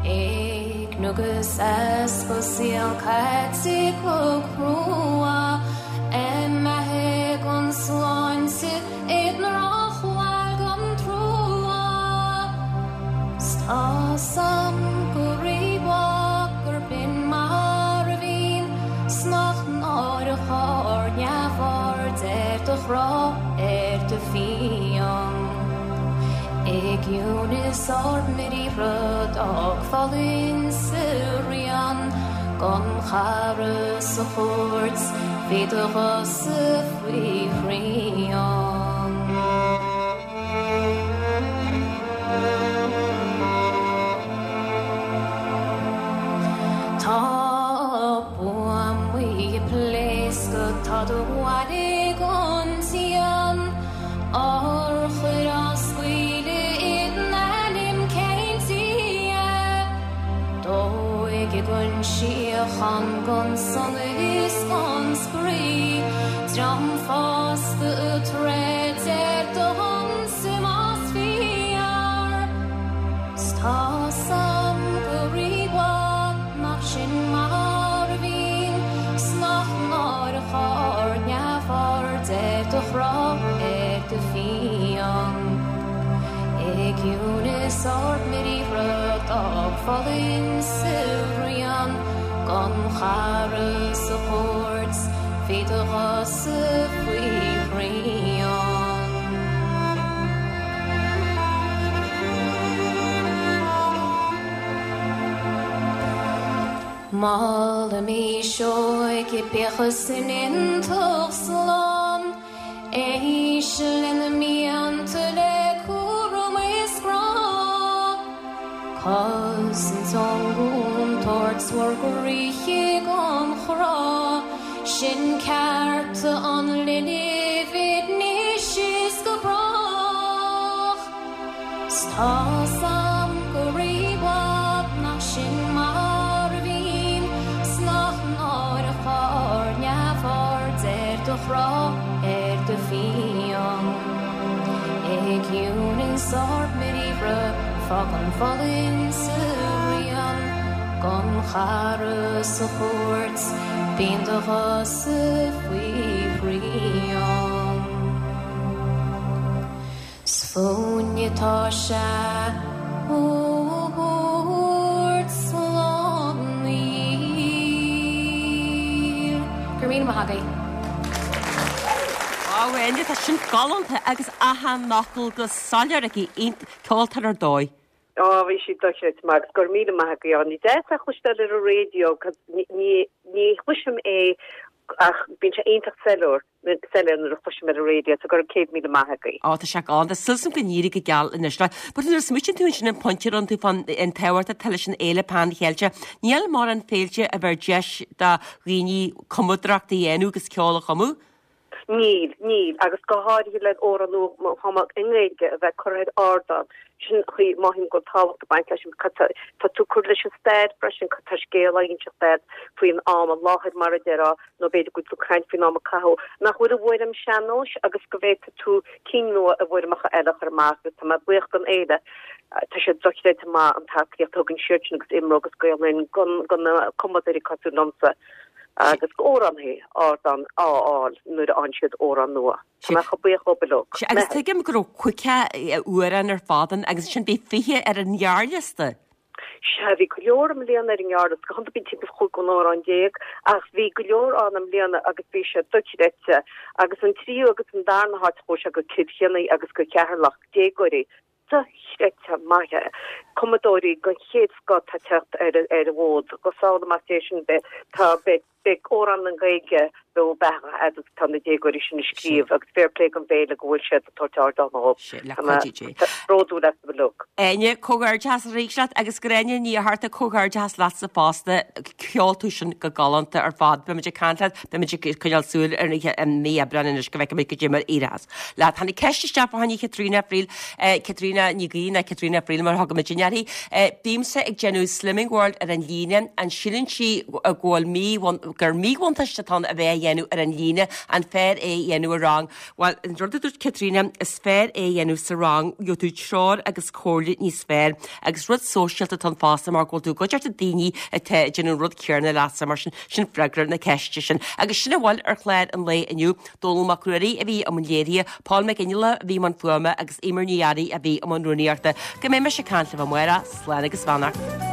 Éigniú agus easpa saol caite go crua Imithe gan sláinte i ndrochbhail gan trua 'S tá's a'm go rímhaith gurb in mar a bhíonn 's nach náireach ár neamhaird ar do ghrá ar do phian. I gciúnas ár mbriathra d'fhágfá linn sa rian Gan chara sa chúirt bhí do ghuthsa faoi shrian. Tá buamaí ag pléascadh, tá do bhaile gan díon, Urchair á scaoileadh i n-ainm cén Dia? Dóigh gan síocháin gan sonas is gan spraoi, Dream fásta ag troid ar do shonsa más fíor. 'S tá's a'm go rímhaith nach sin mar a bhíonn, 's nach náireach ár neamhaird ar do ghrá ar do phian. I gciúnas ár mbriathra d'fhágfá linn sa rian gan chara sa chúirt bhí do ghuthsa faoi shrian. Molaimís óige bíodh san iontach slán, Éist lena mianta le cúram is grá, Cosaint ón gcontúirt bhur gcroíthe gan chrá, Sin cearta an linbh anois is go brách. 'S tá's a'm go rímhaith nach sin mar a bhíonn 's nach náireach ár neamhaird ar do chrá, ar do phian. I gciúnas ár mbriathra fág an fhulaingt 's a rian Don chara sa chúirt bíonn do ghuthsa faoi shrian. 'S fúinne atá sé a thabhairt slán í. Go raibh míle maith agaibh. Wow, Áine, tá sin galánta agus achan fhocal go soiléir aici, ceoltóir ar dóigh. Á, bhí sí dochreidte maith agus go raibh míle maith agaibh. Áine. Deas é a chloisteáil ar an raidió 'cause ní ní chloisim é ach bíonn sé iontach soiléir. soiléir nuair a chloisim ar an raidió, so go raibh 100,000 maith agaibh. Á, tá sé galánta. Súil agam go n-éirí go geal anois leat. But nuair a smaoitíonn tú ansin an pointe a rinne tú fán an tábhacht atá leis an fhéile Pan Cheilteach, níl mórán féilte a bheir deis do dhaoine cumadóireacht a dhéanamh agus ceol a chumadh. Níl, níl, agus go háirithe le amhrán nua chumtha i nGaeilge a bheith curtha ar ardán. Sin an chaoi, mothaím go bhfuil tábhacht ag baint leis sin, tá tú ag cur leis an stair freisin, tá scéal á inseacht agat faoin am i láthair mar a déarfá, nó b'fhéidir go bhfuil tú ag caint faoin am a caitheadh, nach bhfuil i bhfoirm sean-nóis agus go bhféadfaidh tú cinn nua i bhfoirmeacha eile a chur amach agus tá mé buíoch don fhéile, tá sé dochreidte maith an tacaíocht a thugann siadsan agus IMRO agus Gael Linn do na cumadóirí cosúil liomsa agus d'amhránaithe ardán a fháil nuair a fhaigheann siad amhrán nua. Tá mé chomh buíoch dhóibh uilig. Sea, agus tuigim go raibh 50 amhrán ar fad ann agus ansin bhí 20 ar an ghearrliosta. Sea, bhí go leor i mbliana ar an ngearrliosta, go hiondúil bíonn timpeall 15 amhrán, ach bhí go leor ann i mbliana agus bhí sé dochreidte. Agus an tríú agus an darna háit, chuaigh sé go Cill Chainnigh agus go Ceatharlach, déagóirí dochreidte maithe, cumadóirí den chéad scoth atá ag teacht ar an bhfód. Go samhla, más é sin, beidh, tá, beidh. Beidh amhrán i nGaeilge beo beathach fhad is atá na déagóirí sin ag scríobh agus fair play don bhféile go bhfuil siad ag tabhairt ardán dhóibh. Sea, le cuidiú Dé. Tá mé bródúil astu uilig. Áine, comhghairdeachas arís leat agus Gráinne Ní Fhatharta, comhghairdeachas leatsa fosta. Cheol tú sin go galánta ar fad. Beimid ag caint leat, beimid ag coinneáil súil ar an mí Aibreáin anois go bhfeicfimid goidé mar éireos leat. Tháinig ceist isteach fá choinne Chaitríona Friel. Caitríona Ní Ghaoith nó Caitríona Friel mar a thugaimid uirthi. Bímse ag déanamh Slimming World ar an líne, an síleann sí go bhfuil mí gur míbhuntáiste atá ann a bheith á dhéanamh ar an líne, an fearr é a dhéanamh i rang? Bhuel, an rud a dúirt Caitríona, is fearr é a dhéanamh sa rang, gheobhaidh tú treoir agus comhairle níos fearr agus rud sóisialta atá ann fosta mar go bhfuil tú i gcuideachta daoine atá ag déanamh an rud céanna leatsa, mar sin, sin freagra na ceiste sin. Agus sin a bhfuil ar chlár an lae inniu. Dónall Mac Ruairí a bhí i mbun léirithe, Paul Mac Fhionnghaile a bhí i mbun fuaime agus Eimear Ní Fhearraigh a bhí i mbun rúnaíochta. Go mbeidh mise ag caint libh amárach, slán agus beannacht.